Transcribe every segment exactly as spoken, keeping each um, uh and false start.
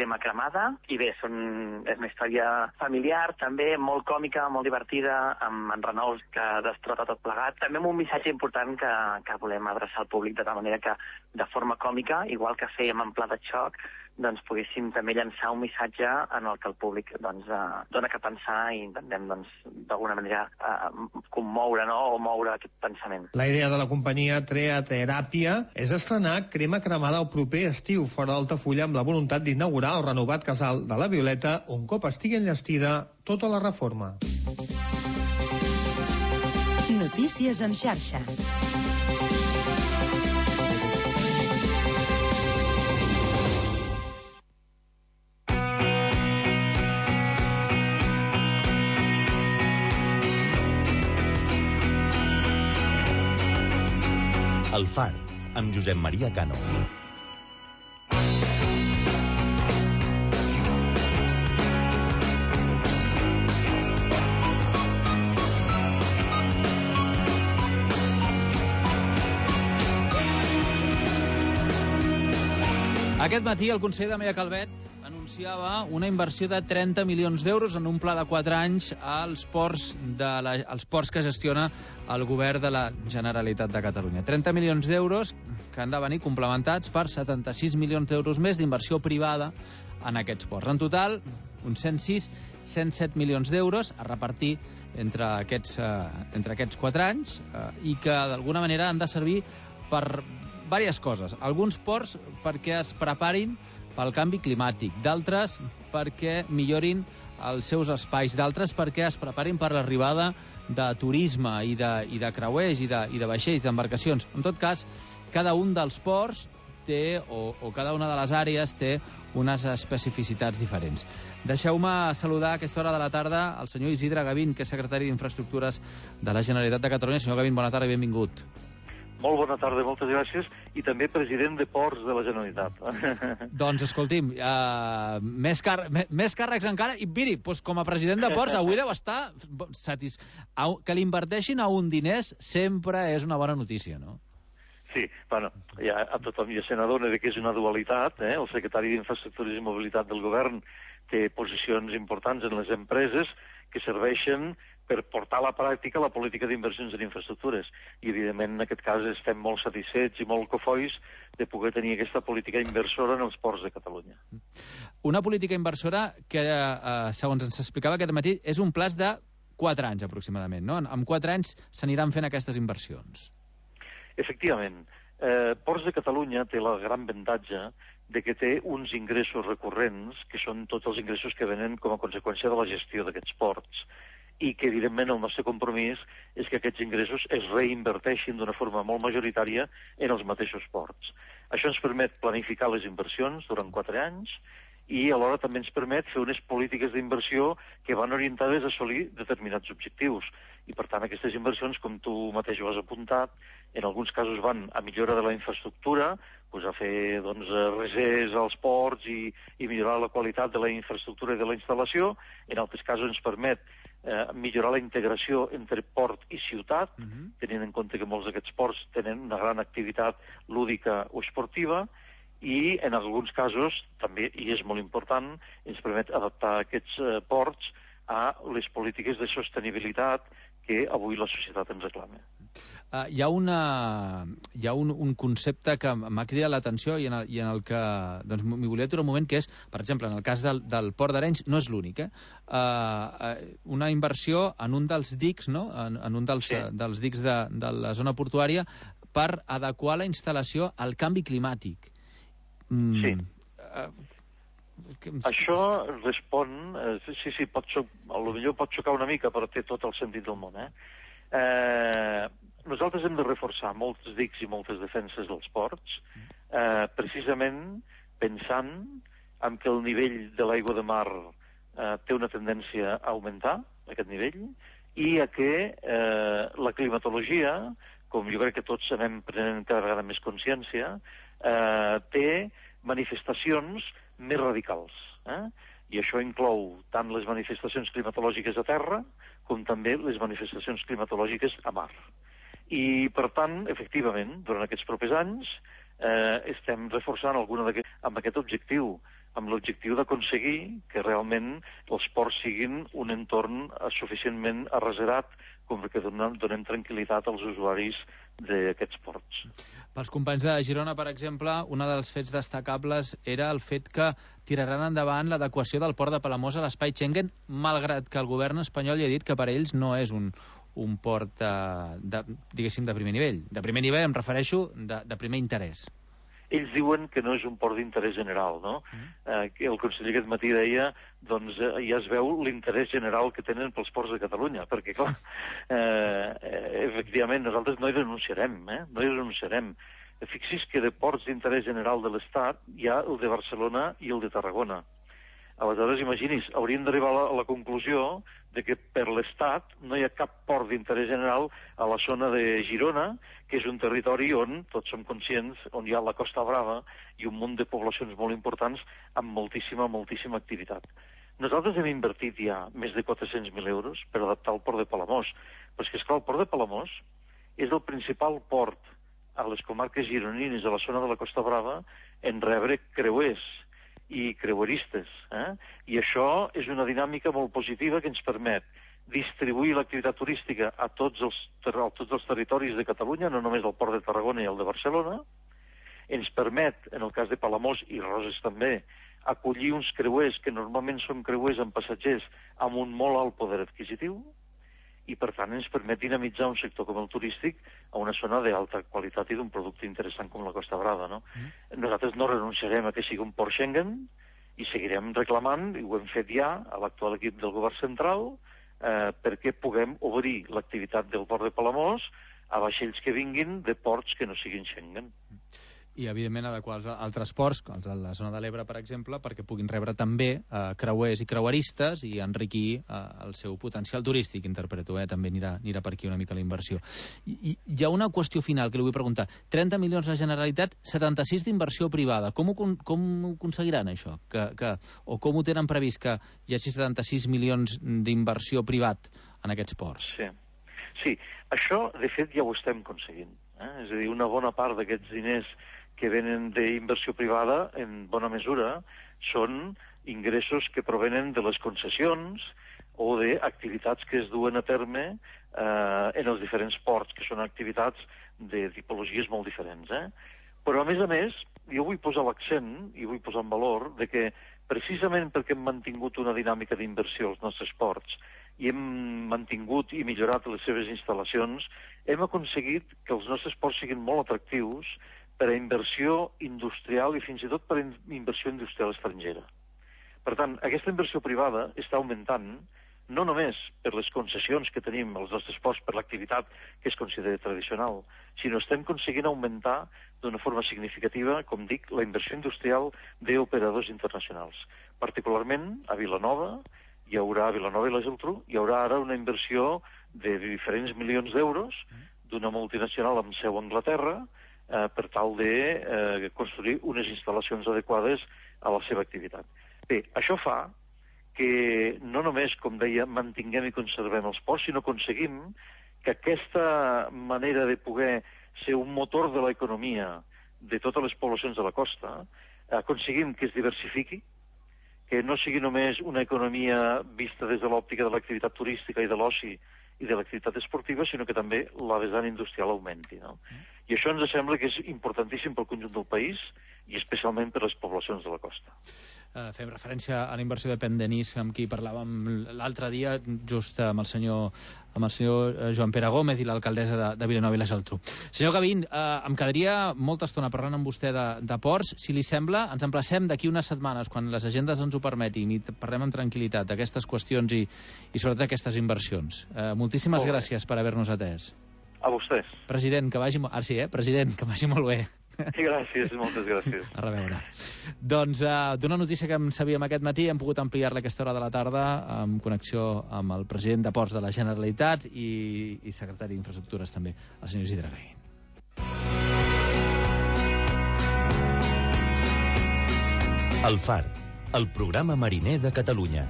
Crema cremada, i bé, són, és una història familiar, també molt còmica, molt divertida, amb en Renault que destrota tot plegat. També amb un missatge important que, que volem adreçar al públic, de tal manera que, de forma còmica, igual que fèiem en Pla de xoc, doncs poguéssim també llançar un missatge en el que el públic doncs, eh, dona que pensar i intentem doncs, d'alguna manera eh, commoure, no? O moure aquest pensament. La idea de la companyia Treateràpia és estrenar Crema cremada el proper estiu fora d'Altafulla amb la voluntat d'inaugurar el renovat casal de la Violeta un cop estigui enllestida tota la reforma. Notícies en xarxa. El Far, amb Josep Maria Cano. Aquest matí el conseller Dameia Calvet anunciava una inversió de trenta milions d'euros en un pla de quatre anys als ports, de la, als ports que gestiona el govern de la Generalitat de Catalunya. trenta milions d'euros que han de venir complementats per setanta-sis milions d'euros més d'inversió privada en aquests ports. En total, uns cent sis cent set milions d'euros a repartir entre aquests, eh, entre aquests quatre anys eh, i que d'alguna manera han de servir per diverses coses. Alguns ports perquè es preparin pel canvi climàtic, d'altres perquè millorin els seus espais, d'altres perquè es preparin per l'arribada de turisme i de, i de creuers i de, i de vaixells, d'embarcacions. En tot cas, cada un dels ports té, o, o cada una de les àrees té unes especificitats diferents. Deixeu-me saludar a aquesta hora de la tarda el senyor Isidre Gavín, que és secretari d'Infraestructures de la Generalitat de Catalunya. Senyor Gavín, bona tarda i benvingut. Molt bona tarda, moltes gràcies, i també president de Ports de la Generalitat. Doncs, escolti'm, uh, més, car més càrrecs encara, i miri, doncs, com a president de Ports avui deu estar satis... que li inverteixin a un diners sempre és una bona notícia, no? Sí, bueno, ja a tothom ja se n'adona que és una dualitat, eh? El secretari d'Infraestructures i Mobilitat del Govern té posicions importants en les empreses que serveixen per portar a la pràctica la política d'inversions en infraestructures. I, evidentment, en aquest cas estem molt satisfets i molt cofois de poder tenir aquesta política inversora en els ports de Catalunya. Una política inversora que, eh, segons ens explicava aquest matí, és un plaç de quatre anys aproximadament, no? En quatre anys s'aniran fent aquestes inversions. Efectivament. Eh, Ports de Catalunya té el gran avantatge de que té uns ingressos recurrents, que són tots els ingressos que venen com a conseqüència de la gestió d'aquests ports, i que, evidentment, el nostre compromís és que aquests ingressos es reinverteixin d'una forma molt majoritària en els mateixos ports. Això ens permet planificar les inversions durant quatre anys i alhora també ens permet fer unes polítiques d'inversió que van orientades a assolir determinats objectius. I, per tant, aquestes inversions, com tu mateix ho has apuntat, en alguns casos van a millora de la infraestructura, doncs a fer doncs, resers als ports i, i millorar la qualitat de la infraestructura i de la instal·lació. En altres casos ens permet eh, millorar la integració entre port i ciutat, uh-huh. tenint en compte que molts d'aquests ports tenen una gran activitat lúdica o esportiva, i en alguns casos, també, i és molt important, ens permet adaptar aquests eh, ports a les polítiques de sostenibilitat que avui la societat ens reclama. Uh, hi ha, una, hi ha un, un concepte que m'ha cridat l'atenció i, en el, i en el que doncs, m'hi volia aturar un moment, que és, per exemple, en el cas del, del Port d'Arenys, no és l'únic, eh? Uh, uh, una inversió en un dels dics, no? en, en un dels, sí. uh, dels dics de, de la zona portuària per adequar la instal·lació al canvi climàtic. Mm, sí. Uh, que... Això respon... Eh, sí, sí, pot xoc, potser pot xocar una mica, però té tot el sentit del món, eh? Eh, nosaltres hem de reforçar molts dics i moltes defenses dels ports, eh, precisament pensant en que el nivell de l'aigua de mar eh, té una tendència a augmentar, aquest nivell, i a que eh, la climatologia, com jo crec que tots anem prenent cada vegada més consciència, eh, té manifestacions més radicals. Eh? I això inclou tant les manifestacions climatològiques a terra com també les manifestacions climatològiques a mar. I, per tant, efectivament, durant aquests propers anys eh, estem reforçant alguna d'aquest, amb aquest objectiu amb l'objectiu d'aconseguir que realment els ports siguin un entorn suficientment arreserat com que donem, donem tranquil·litat als usuaris d'aquests ports. Pels companys de Girona, per exemple, un dels fets destacables era el fet que tiraran endavant l'adequació del port de Palamós a l'espai Schengen, malgrat que el govern espanyol ja ha dit que per ells no és un, un port, de, de, diguéssim, de primer nivell. De primer nivell em refereixo de, de primer interès. Ells diuen que no és un port d'interès general, no? Mm. Eh, el conseller aquest matí deia, doncs eh, ja es veu l'interès general que tenen pels ports de Catalunya, perquè, clar, eh, efectivament, nosaltres no hi renunciarem, eh? No hi renunciarem. Fixi's que de ports d'interès general de l'Estat hi ha el de Barcelona i el de Tarragona. Aleshores, imagini's, hauríem d'arribar a la conclusió de que per l'Estat no hi ha cap port d'interès general a la zona de Girona, que és un territori on, tots som conscients, on hi ha la Costa Brava i un munt de poblacions molt importants amb moltíssima, moltíssima activitat. Nosaltres hem invertit ja més de quatre-cents mil euros per adaptar el port de Palamós, però és que, esclar, el port de Palamós és el principal port a les comarques gironines, a la zona de la Costa Brava, en rebre creuers i creueristes, eh? I això és una dinàmica molt positiva que ens permet distribuir l'activitat turística a tots els, a tots els territoris de Catalunya, no només al port de Tarragona i el de Barcelona. Ens permet, en el cas de Palamós i Roses també, acollir uns creuers que normalment són creuers amb passatgers amb un molt alt poder adquisitiu, i per tant ens permet dinamitzar un sector com el turístic a una zona d'alta qualitat i d'un producte interessant com la Costa Brava, no? Mm. Nosaltres no renunciarem a que sigui un port Schengen i seguirem reclamant, i ho hem fet ja a l'actual equip del govern central, eh, perquè puguem obrir l'activitat del port de Palamós a vaixells que vinguin de ports que no siguin Schengen. I, evidentment, adequar els altres ports, els de la zona de l'Ebre, per exemple, perquè puguin rebre també eh, creuers i creueristes i enriquir eh, el seu potencial turístic, interpreto, eh? També anirà, anirà per aquí una mica la inversió. I, I hi ha una qüestió final que li vull preguntar. trenta milions la Generalitat, setanta-sis d'inversió privada. Com ho, com ho aconseguiran, això? Que, que, o com ho tenen previst que hi hagi setanta-sis milions d'inversió privat en aquests ports? Sí. Sí, això, de fet, ja ho estem aconseguint. Eh? És a dir, una bona part d'aquests diners que venen d'inversió privada, en bona mesura, són ingressos que provenen de les concessions o d'activitats que es duen a terme eh, en els diferents ports, que són activitats de tipologies molt diferents. Eh? Però, a més a més, jo vull posar l'accent i vull posar en valor de que, precisament perquè hem mantingut una dinàmica d'inversió als nostres ports i hem mantingut i millorat les seves instal·lacions, hem aconseguit que els nostres ports siguin molt atractius per a inversió industrial i fins i tot per a inversió industrial estrangera. Per tant, aquesta inversió privada està augmentant no només per les concessions que tenim als nostres ports per l'activitat que es considera tradicional, sinó estem aconseguint augmentar d'una forma significativa, com dic, la inversió industrial d'operadors internacionals. Particularment a Vilanova, hi haurà a Vilanova i la Geltrú, hi haurà ara una inversió de diferents milions d'euros d'una multinacional amb seu a Anglaterra, Eh, per tal de eh, construir unes instal·lacions adequades a la seva activitat. Bé, això fa que no només, com deia, mantinguem i conservem els ports, sinó aconseguim que aquesta manera de poder ser un motor de l'economia de totes les poblacions de la costa, aconseguim que es diversifiqui, que no sigui només una economia vista des de l'òptica de l'activitat turística i de l'oci i de l'activitat esportiva, sinó que també la vessant industrial augmenti. No? I això ens sembla que és importantíssim pel conjunt del país i especialment per les poblacions de la costa. Uh, fem referència a la inversió de Pendenís, amb qui parlàvem l'altre dia, just amb el senyor, amb el senyor Joan Pere Gómez i l'alcaldessa de, de Vilanova i la Geltrú. Senyor Gavín, uh, em quedaria molta estona parlant amb vostè de, de ports. Si li sembla, ens emplacem d'aquí unes setmanes, quan les agendes ens ho permetin, i parlem amb tranquil·litat d'aquestes qüestions i, i sobretot d'aquestes inversions. Uh, moltíssimes molt gràcies per haver-nos atès. A vostès. President, que vagi... Ah, sí, eh? President, que vagi molt bé. Sí, gràcies, moltes gràcies. A reveure. Doncs uh, d'una notícia que en sabíem aquest matí, hem pogut ampliar-la aquesta hora de la tarda en connexió amb el president de Ports de la Generalitat i, i secretari d'Infraestructures també, el senyor Isidre Gavín. El Far, el programa mariner de Catalunya.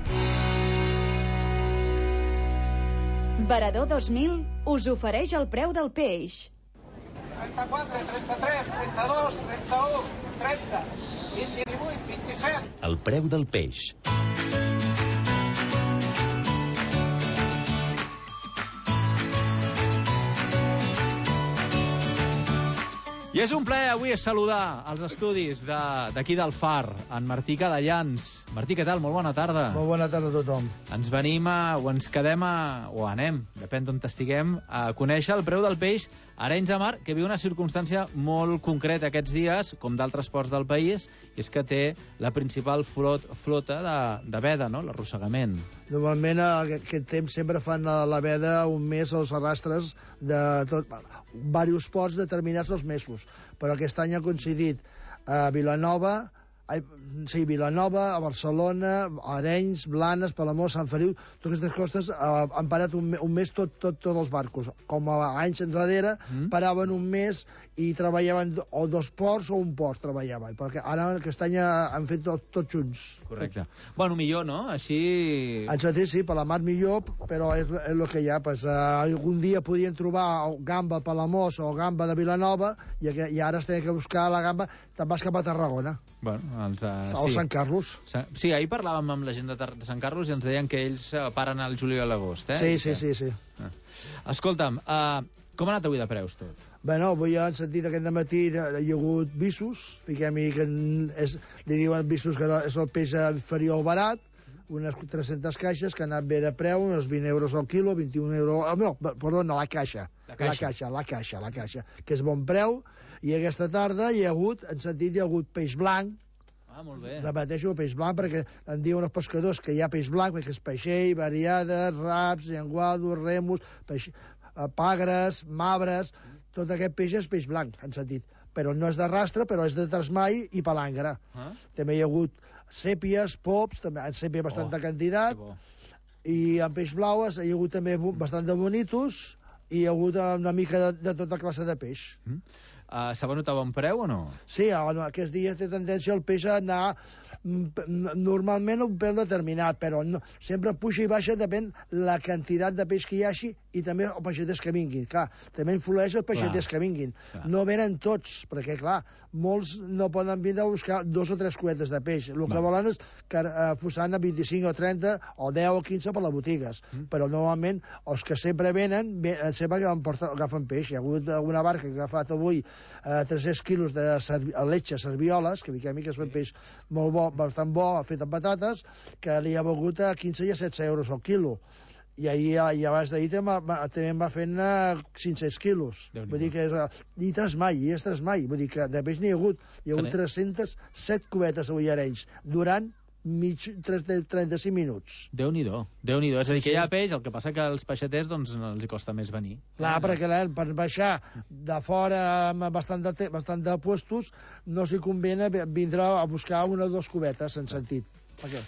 Varador dos mil us ofereix el preu del peix. trenta-quatre, trenta-tres, trenta-dos, trenta-u, trenta, vint-i-vuit, El preu del peix. I és un plaer avui saludar als estudis d'aquí del Far, en Martí Cadellans. Martí, què tal? Molt bona tarda. Molt bona tarda a tothom. Ens venim a, o ens quedem a, o anem, depèn d'on estiguem, a conèixer el preu del peix a Arenys de Mar, que viu una circumstància molt concreta aquests dies, com d'altres ports del país, i és que té la principal flot, flota de, de veda, no?, l'arrossegament. Normalment aquest temps sempre fan la veda un mes als arrastres de tot, diversos ports determinats els mesos, però aquest any ha coincidit a Vilanova, ai, sí, Vilanova, a Barcelona, a Arenys, Blanes, Palamós, Sant Feliu, totes aquestes costes eh, han parat un, un mes tot, tot, tots els barcos. Com a anys enrere, mm. paraven un mes i treballaven o dos ports o un port treballaven, perquè ara aquest any han fet tot, tots junts. Correcte. Bueno, millor, no? Així... En sentit, sí, per la mar millor, però és, és el que hi ha. Pues, uh, algun dia podien trobar gamba a Palamós o gamba de Vilanova i, i ara es tenen que buscar la gamba, te'n vas cap a Tarragona. Bueno, els, uh, o sí. Sant Carlos. Sí, ahir parlàvem amb la gent de, de Sant Carlos i ens deien que ells uh, paren al juliol a l'agost, eh? Sí, sí, sí, sí. Ah. Escolta'm, uh, com ha anat avui de preus tot? Bé, no, avui han sentit aquest matí hi ha hagut visos, fiquem-hi que és, li diuen visos que és el peix inferior al barat, unes tres-centes caixes que han anat bé de preu, uns vint euros al quilo, vint-i-un euros... Oh, no, perdona, la caixa. La caixa. La caixa, la caixa, la caixa, que és bon preu. I aquesta tarda hi ha hagut, en sentit, hi ha hagut peix blanc. Ah, molt bé. Repeteixo, peix blanc, perquè em diuen els pescadors que hi ha peix blanc, perquè és peixell, variades, raps, llenguados, remus, peix, pagres, mabres... Tot aquest peix és peix blanc, en sentit. Però no és de rastre, però és de trasmai i palangre. Ah. També hi ha hagut sèpies, pops, també en sèpia bastanta oh, quantitat, i en peix blau hi ha hagut també bastant de bonitos, i hi ha hagut una mica de, de tota classe de peix. Mm. Uh, S'ha venut a bon preu o no? Sí, aquests dies té tendència el peix a anar normalment a un preu determinat, però no, sempre puja i baixa depèn la quantitat de peix que hi hagi i també els peixaters que vinguin. Clar, també influeix els peixaters clar, que vinguin. Clar. No venen tots, perquè, clar, molts no poden vindre a buscar dos o tres cuetes de peix. El que Va. volen és que eh, posant a vint-i-cinc o trenta o deu o quinze per les botigues. Mm. Però normalment els que sempre venen, venen sempre agafen, agafen peix. Hi ha hagut una barca que ha agafat avui eh, tres-cents quilos de servi letxa, servioles, que mica mica és un peix molt bo, bastant bo, fet amb patates, que li ha begut a quinze i a setze euros al quilo. I ahir, i abans d'ahir també em va fent cinc-cents quilos. Vull dir que és... I trasmai, i és trasmai. Vull dir que de peix n'hi ha hagut. Hi ha hagut tres-centes set cubetes avui a Arenys, durant mig, trenta-cinc minuts. Déu-n'hi-do, Déu-n'hi-do. És a dir, que hi ha peix, el que passa que als peixaters doncs, no els costa més venir. Clar, eh? perquè la, per baixar de fora amb bastant de, bastant de puestos no s'hi convé vindre a buscar una o dues cubetes, en sentit. Okay.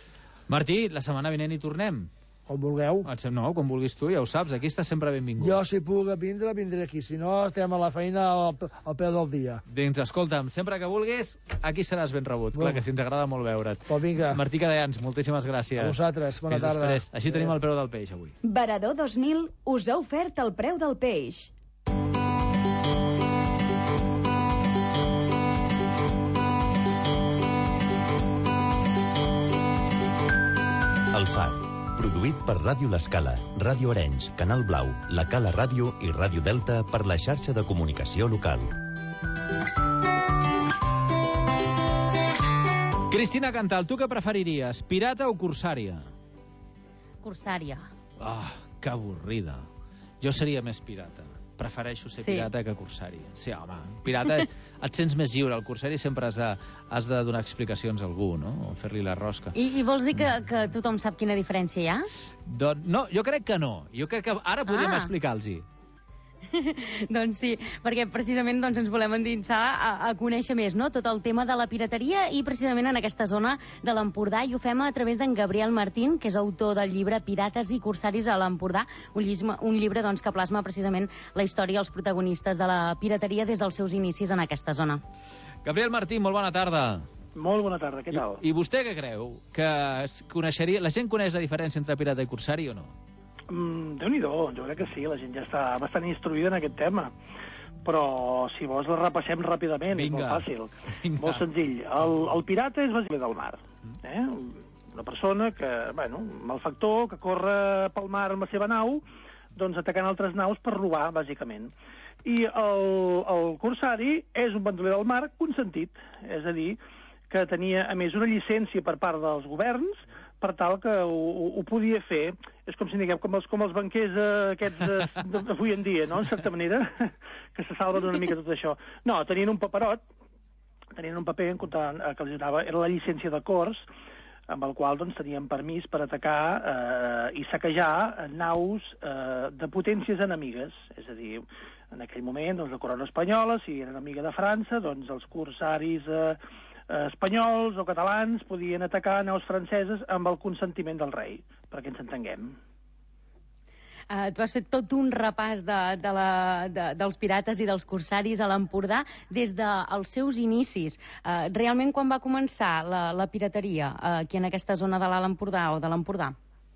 Martí, la setmana vinent hi tornem. Com vulgueu. No, com vulguis tu, ja ho saps, aquí està sempre benvingut. Jo, si puc vindre, vindré aquí. Si no, estem a la feina al, al peu del dia. Doncs escolta'm, sempre que vulguis, aquí seràs ben rebut. Bueno. Clar que sí, ens agrada molt veure't. Pues vinga. Martí Cadellans, moltíssimes gràcies. A vosaltres, bona Fins tarda. Després. Així eh. tenim el preu del peix, avui. Varador dos mil us ha ofert el preu del peix. El Far, produït per Ràdio L'Escala, Ràdio Arenys, Canal Blau, La Cala Ràdio i Ràdio Delta per la xarxa de comunicació local. Cristina Cantal, tu què preferiries, pirata o corsària? Corsària. Ah, oh, que avorrida. Jo seria més pirata. Prefereixo ser sí. pirata que corsari. Sí, home, pirata et sents més lliure. El corsari sempre has de, has de donar explicacions a algú, no? O fer-li la rosca. I, I vols dir que, que tothom sap quina diferència hi ha? Don, no, jo crec que no. Jo crec que ara podríem ah. explicar-los-hi. Doncs sí, perquè precisament doncs, ens volem endinsar a, a conèixer més, no?, tot el tema de la pirateria i precisament en aquesta zona de l'Empordà, i ho fem a través d'en Gabriel Martín, que és autor del llibre Pirates i Corsaris a l'Empordà, un, llisme, un llibre doncs, que plasma precisament la història i els protagonistes de la pirateria des dels seus inicis en aquesta zona. Gabriel Martín, molt bona tarda. Molt bona tarda, què tal? I, i vostè què creu? Que coneixeria, la gent coneix la diferència entre pirata i corsari o no? Mm, Déu-n'hi-do, jo crec que sí, la gent ja està bastant instruïda en aquest tema. però si vols la repassem ràpidament, Vinga. és molt fàcil. Vinga. Molt senzill. El, el pirata és bàsicament del mar. Eh? Una persona que, bueno, malfactor, que corre pel mar amb la seva nau, doncs atacant altres naus per robar, bàsicament. I el, el corsari és un bandoler del mar consentit, és a dir, que tenia, a més, una llicència per part dels governs per tal que ho, ho, ho podia fer. És com si diguem, com els, com els banquers eh, aquests d'avui en dia, no?, en certa manera, que se salven una mica tot això. No, tenien un paperot, tenien un paper en compte, eh, que els donava, era la llicència de cors, amb el qual doncs, tenien permís per atacar eh, i saquejar naus eh, de potències enemigues. És a dir, en aquell moment, doncs, la corona espanyola, si era enemiga de França, doncs els corsaris eh, eh, espanyols o catalans podien atacar naus franceses amb el consentiment del rei, perquè ens entenguem. Uh, tu has fet tot un repàs de, de la, de, dels pirates i dels corsaris a l'Empordà des dels seus inicis. Uh, realment, quan va començar la, la pirateria uh, aquí en aquesta zona de l'Alt Empordà o de l'Empordà?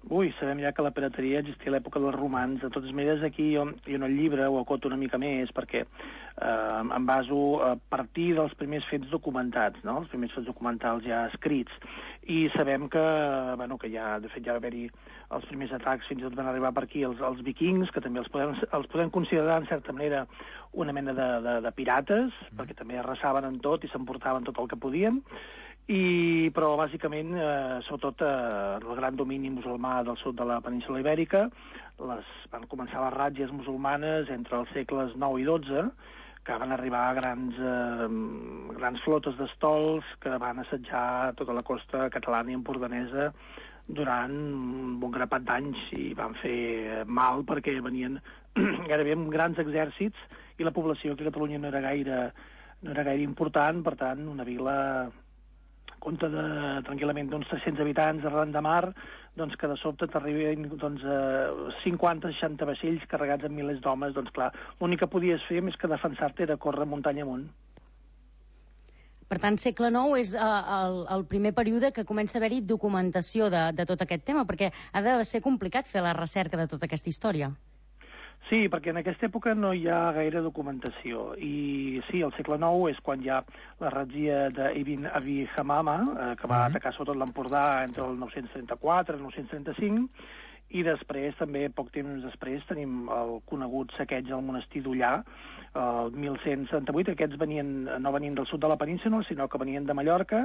Ui, sabem ja que la pirateria existia a l'època dels romans. De totes maneres, aquí jo, jo en el llibre ho acoto una mica més perquè eh, em baso a partir dels primers fets documentats, no?, els primers fets documentals ja escrits. I sabem que, bueno, que ja, de fet, ja va haver-hi els primers atacs, fins i tot van arribar per aquí els, els vikings, que també els podem, els podem considerar, en certa manera, una mena de, de, de pirates, mm. perquè també arrasaven en tot i s'emportaven tot el que podien. I, però bàsicament, eh, sobretot eh, el gran domini musulmà del sud de la península Ibèrica, les, van començar les ràtzies musulmanes entre els segles nou i dotze, que van arribar a grans, eh, grans flotes d'estols que van assetjar tota la costa catalana i empordanesa durant un bon grapat d'anys i van fer mal perquè venien gairebé amb grans exèrcits i la població aquí a Catalunya no era gaire, no era gaire important, per tant, una vila compte de, tranquil·lament d'uns tres-cents habitants arran de mar, doncs que de sobte t'arriben doncs, cinquanta seixanta vaixells carregats amb milers d'homes, doncs clar, l'únic que podies fer més que defensar-te era córrer muntanya amunt. Per tant, segle nou és uh, el, el primer període que comença a haver-hi documentació de, de tot aquest tema, perquè ha de ser complicat fer la recerca de tota aquesta història. Sí, perquè en aquesta època no hi ha gaire documentació. I sí, el segle nou és quan hi ha la ratzia d'Ibn Abi Hamama, eh, que va atacar sobretot l'Empordà entre el nou-cents trenta-quatre i el nou-cents trenta-cinc, i després, també, poc temps després, tenim el conegut saqueig al monestir d'Ullà, el mil cent setanta-vuit. Aquests venien, no venien del sud de la península, sinó que venien de Mallorca,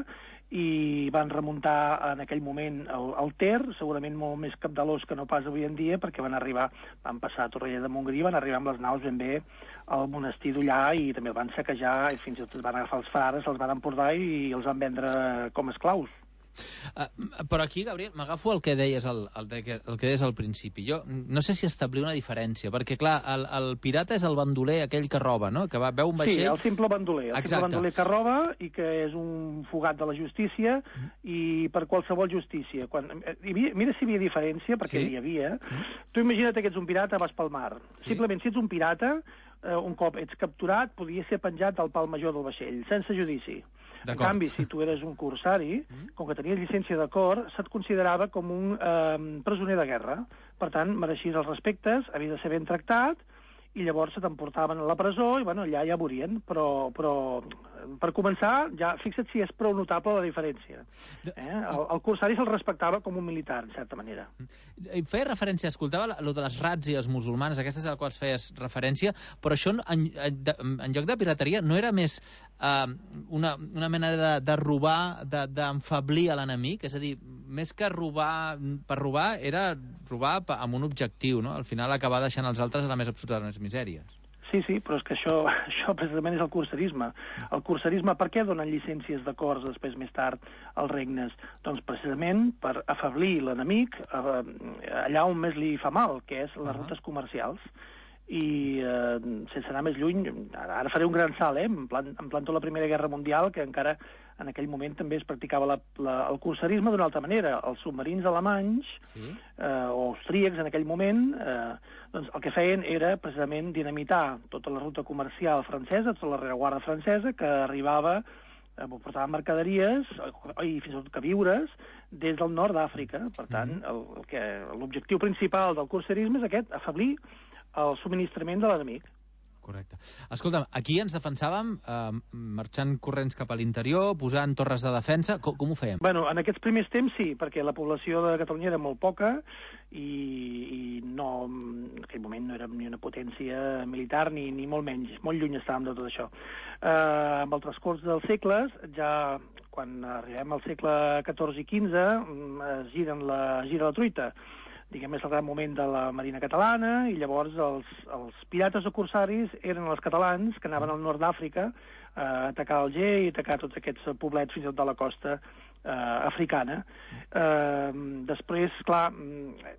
i van remuntar en aquell moment el, el Ter, segurament molt més capdalós que no pas avui en dia, perquè van arribar, van passar a Torroella de Montgrí, van arribar amb les naus ben bé al monestir d'Ullà, i també el van saquejar, i fins i tot van agafar els frares, els van emportar i els van vendre com esclaus. Uh, però aquí, Gabriel, m'agafo el que deies al, el, el que deies al principi. Jo no sé si establir una diferència, perquè, clar, el, el pirata és el bandoler aquell que roba, no?, que va, veu un vaixell... Sí, el simple bandoler, el Exacte. simple bandoler que roba i que és un fugat de la justícia mm. i per qualsevol justícia. Quan, hi havia, mira si hi havia diferència, perquè sí? hi havia. Mm. Tu imagina't que ets un pirata, vas pel mar. Sí? Simplement, si ets un pirata, eh, un cop ets capturat, podia ser penjat al pal major del vaixell, sense judici. En canvi, si tu eres un corsari, com que tenies llicència de cor, se't considerava com un eh, presoner de guerra. Per tant, mereixies els respectes, havia de ser ben tractat, i llavors se t'emportaven a la presó i, bueno, allà ja morien. Però, però per començar, ja fixa't si és prou notable la diferència. Eh? El, el corsari se'l respectava com un militar, en certa manera. Feia referència, escoltava el de les ràtzies musulmanes, aquestes a les quals feies referència, però això, en, en lloc de pirateria, no era més eh, una, una mena de, de robar, d'enfablir de, a l'enemic? És a dir, més que robar per robar, era robar amb un objectiu, no? Al final acabar deixant els altres a la més absoluta de les misèries. Sí, sí, però és que això, això precisament és el corsarisme. El corsarisme, per què donen llicències de cors després, més tard, als regnes? Doncs precisament per afablir l'enemic allà on més li fa mal, que és les rutes comercials. I eh, sense anar més lluny, ara faré un gran salt, eh? em, plan, em planto la Primera Guerra Mundial, que encara en aquell moment també es practicava la, la, el corsarisme d'una altra manera. Els submarins alemanys, sí? eh, o austríacs en aquell moment, eh, doncs el que feien era precisament dinamitar tota la ruta comercial francesa, tota la rereguarda francesa, que arribava, eh, portava mercaderies i fins i tot queviures des del nord d'Àfrica. Per tant, el, el que, l'objectiu principal del corsarisme és aquest, afablir el subministrament de l'enemic. Correcte. Escolta'm, aquí ens defensàvem eh, marxant corrents cap a l'interior, posant torres de defensa. Com, com ho fèiem? Bueno, en aquests primers temps sí, perquè la població de Catalunya era molt poca i, i no, en aquell moment no érem ni una potència militar ni, ni molt menys, molt lluny estàvem de tot això. Eh, amb el transcurs dels segles, ja quan arribem al segle catorze i quinze, es giren la, gira la truita. Diguem, és el gran moment de la Marina catalana, i llavors els, els pirates o corsaris eren els catalans que anaven al nord d'Àfrica a atacar Alger i atacar tots aquests poblets fins i tot de la costa eh, africana. Eh, després, clar,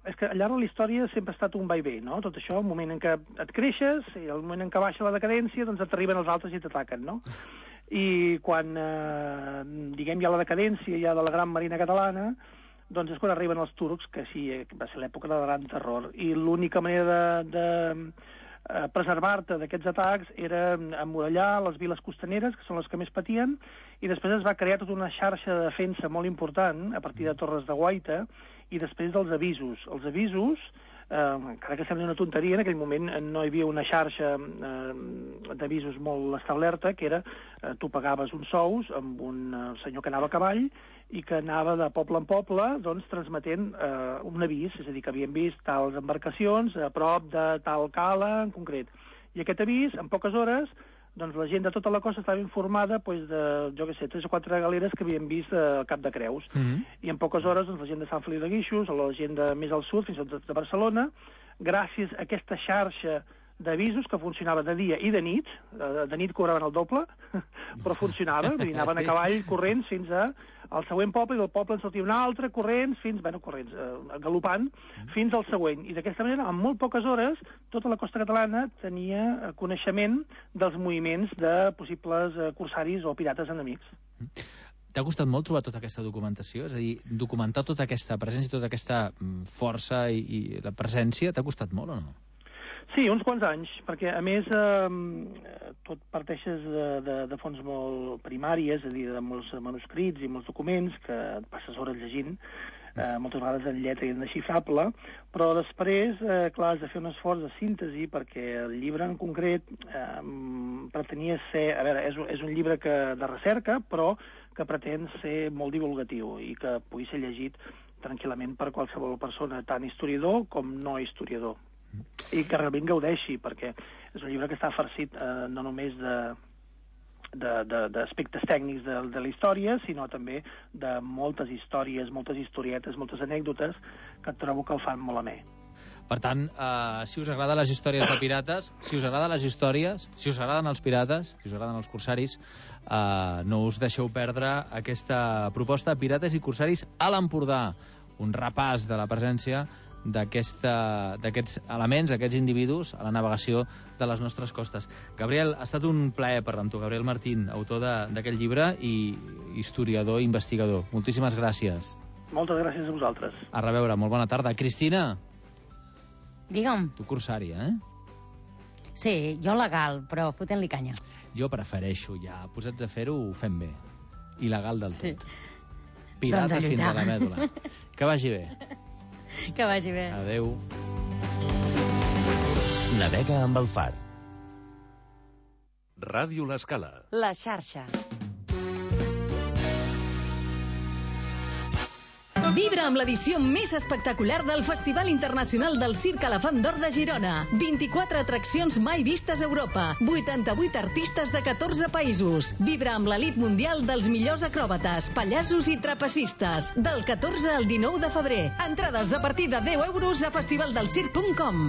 és que al llarg de la història sempre ha estat un va i ve, no? Tot això, el moment en què et creixes i el moment en què baixa la decadència, doncs et arriben els altres i t'ataquen, no? I quan, eh, diguem, hi ha la decadència ja de la gran Marina catalana, doncs és quan arriben els turcs, que sí, va ser l'època del gran terror. I l'única manera de, de preservar-te d'aquests atacs era emmurallar les viles costaneres, que són les que més patien, i després es va crear tota una xarxa de defensa molt important, a partir de torres de guaita, i després dels avisos. Els avisos, eh, encara que sembli una tonteria, en aquell moment no hi havia una xarxa eh, d'avisos molt establerta, que era, eh, tu pagaves uns sous amb un eh, senyor que anava a cavall, i que anava de poble en poble, doncs, transmetent eh, un avís, és a dir, que havien vist tals embarcacions a prop de tal cala en concret. I aquest avís, en poques hores, doncs la gent de tota la costa estava informada doncs, de, jo què sé, tres o quatre galeres que havien vist al Cap de Creus. Mm-hmm. I en poques hores, doncs, la gent de Sant Feliu de Guíxols, o la gent de més al sud, fins i tot de Barcelona, gràcies a aquesta xarxa d'avisos que funcionava de dia i de nit, de nit cobraven el doble, però funcionava, vull dir, anaven a cavall corrents fins a, al següent poble, i del poble en sortia un altre corrents, fins, bueno, corrents, eh, galopant, fins al següent. I d'aquesta manera, en molt poques hores, tota la costa catalana tenia coneixement dels moviments de possibles eh, corsaris o pirates enemics. T'ha costat molt trobar tota aquesta documentació? És a dir, documentar tota aquesta presència, tota aquesta força i, i la presència, t'ha costat molt o no? Sí, uns quants anys, perquè a més eh, tot parteixes de, de, de fonts molt primàries, és a dir, de molts manuscrits i molts documents que et passes hores llegint, eh, moltes vegades en lletra indesxifrable, però després, eh, clar, has de fer un esforç de síntesi perquè el llibre en concret eh, pretenia ser, a veure, és, és un llibre que, de recerca, però que pretén ser molt divulgatiu i que pugui ser llegit tranquil·lament per qualsevol persona, tant historiador com no historiador. I que realment gaudeixi, perquè és un llibre que està farcit eh, no només de d'aspectes tècnics de, de la història, sinó també de moltes històries, moltes historietes, moltes anècdotes que trobo que el fan molt amè. Per tant, eh, si us agraden les històries de pirates, si us agraden les històries, si us agraden els pirates, si us agraden els corsaris, eh, no us deixeu perdre aquesta proposta Pirates i Corsaris a l'Empordà. Un repàs de la presència d'aquests elements, aquests individus a la navegació de les nostres costes. Gabriel, ha estat un plaer parlar amb tu. Gabriel Martín, autor d'aquest llibre i historiador i investigador. Moltíssimes gràcies. Moltes gràcies a vosaltres. A reveure, molt bona tarda. Cristina. Digue'm. Tu corsària, eh? Sí, jo legal, però fotent-li canya. Jo prefereixo ja, posats a fer-ho, ho fem bé. Il·legal del tot. Sí. Pirata doncs fins a la mèdula. Que vagi bé. Que vagi bé. Adéu. Navega amb el far. Ràdio L'Escala. La xarxa. Vibra amb l'edició més espectacular del Festival Internacional del Circ Elefant d'Or de Girona. vint-i-quatre atraccions mai vistes a Europa. vuitanta-vuit artistes de catorze països. Vibra amb l'elit mundial dels millors acròbates, pallassos i trapecistes. Del catorze al dinou de febrer. Entrades a partir de deu euros a festivaldelsirc punt com.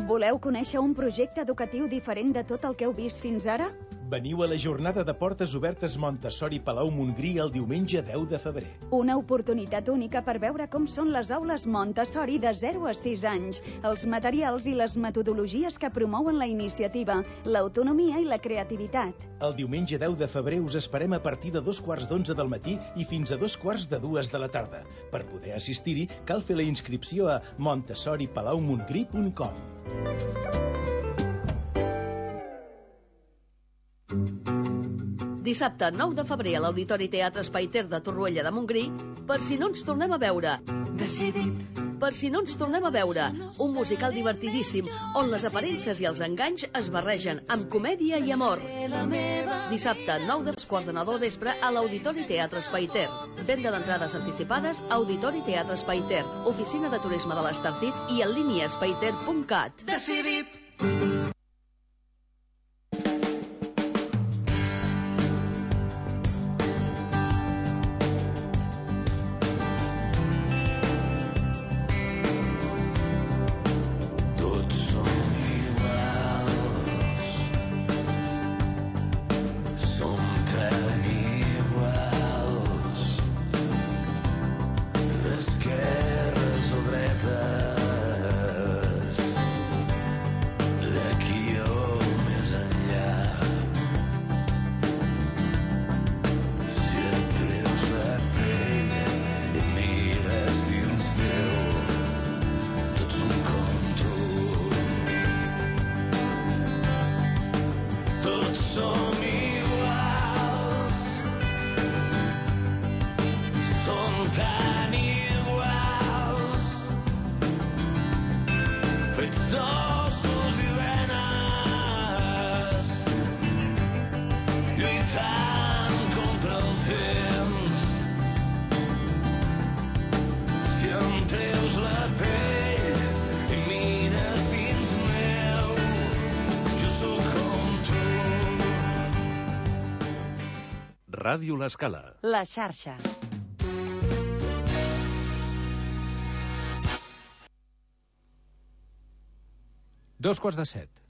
Voleu conèixer un projecte educatiu diferent de tot el que heu vist fins ara? Veniu a la jornada de portes obertes Montessori Palau Montgrí el diumenge deu de febrer. Una oportunitat única per veure com són les aules Montessori de zero a sis anys, els materials i les metodologies que promouen la iniciativa, l'autonomia i la creativitat. El diumenge deu de febrer us esperem a partir de dos quarts d'onze del matí i fins a dos quarts de dues de la tarda. Per poder assistir-hi, cal fer la inscripció a montessori palau montgrí punt com. Dissabte nou de febrer a l'Auditori Teatre Espai Ter de Torroella de Montgrí, per si no ens tornem a veure. Decidit. per si no ens tornem a veure, un musical divertidíssim on les aparences i els enganys es barregen amb comèdia i amor. Dissabte, nou dels quarts de nou del vespre, a l'Auditori Teatre Espai Ter. Venda d'entrades anticipades, Auditori Teatre Espai Ter, oficina de turisme de l'Estartit i en línia espaiter punt cat. Decidit! Ràdio L'Escala. La xarxa. Dos quarts de set.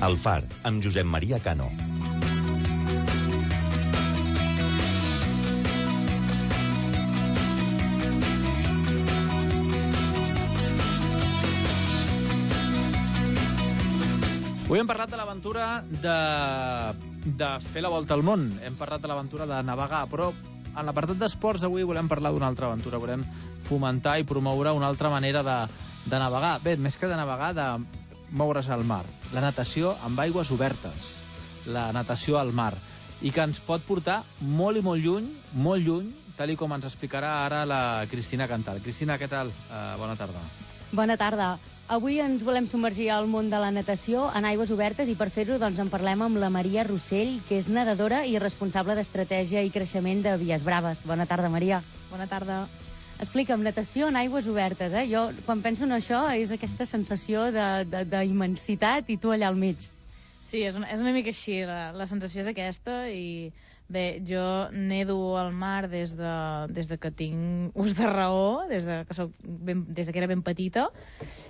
El Far, amb Josep Maria Cano. Avui hem parlat de l'aventura de, de fer la volta al món. Hem parlat de l'aventura de navegar, però en l'apartat d'esports avui volem parlar d'una altra aventura. Volem fomentar i promoure una altra manera de, de navegar. Bé, més que de navegar, de moure's al mar. La natació amb aigües obertes. La natació al mar. I que ens pot portar molt i molt lluny, molt lluny, tal i com ens explicarà ara la Cristina Cantal. Cristina, què tal? Uh, bona tarda. Bona tarda. Avui ens volem submergir al món de la natació en aigües obertes i per fer-ho doncs, en parlem amb la Maria Rossell, que és nedadora i responsable d'estratègia i creixement de Vies Braves. Bona tarda, Maria. Bona tarda. Explica'm, natació en aigües obertes, eh? Jo, quan penso en això, és aquesta sensació d'immensitat i tu allà al mig. Sí, és una, és una mica així, la, la sensació és aquesta i... Bé, jo nedo al mar des de, des de que tinc ús de raó, des de que, soc ben, des de que era ben petita,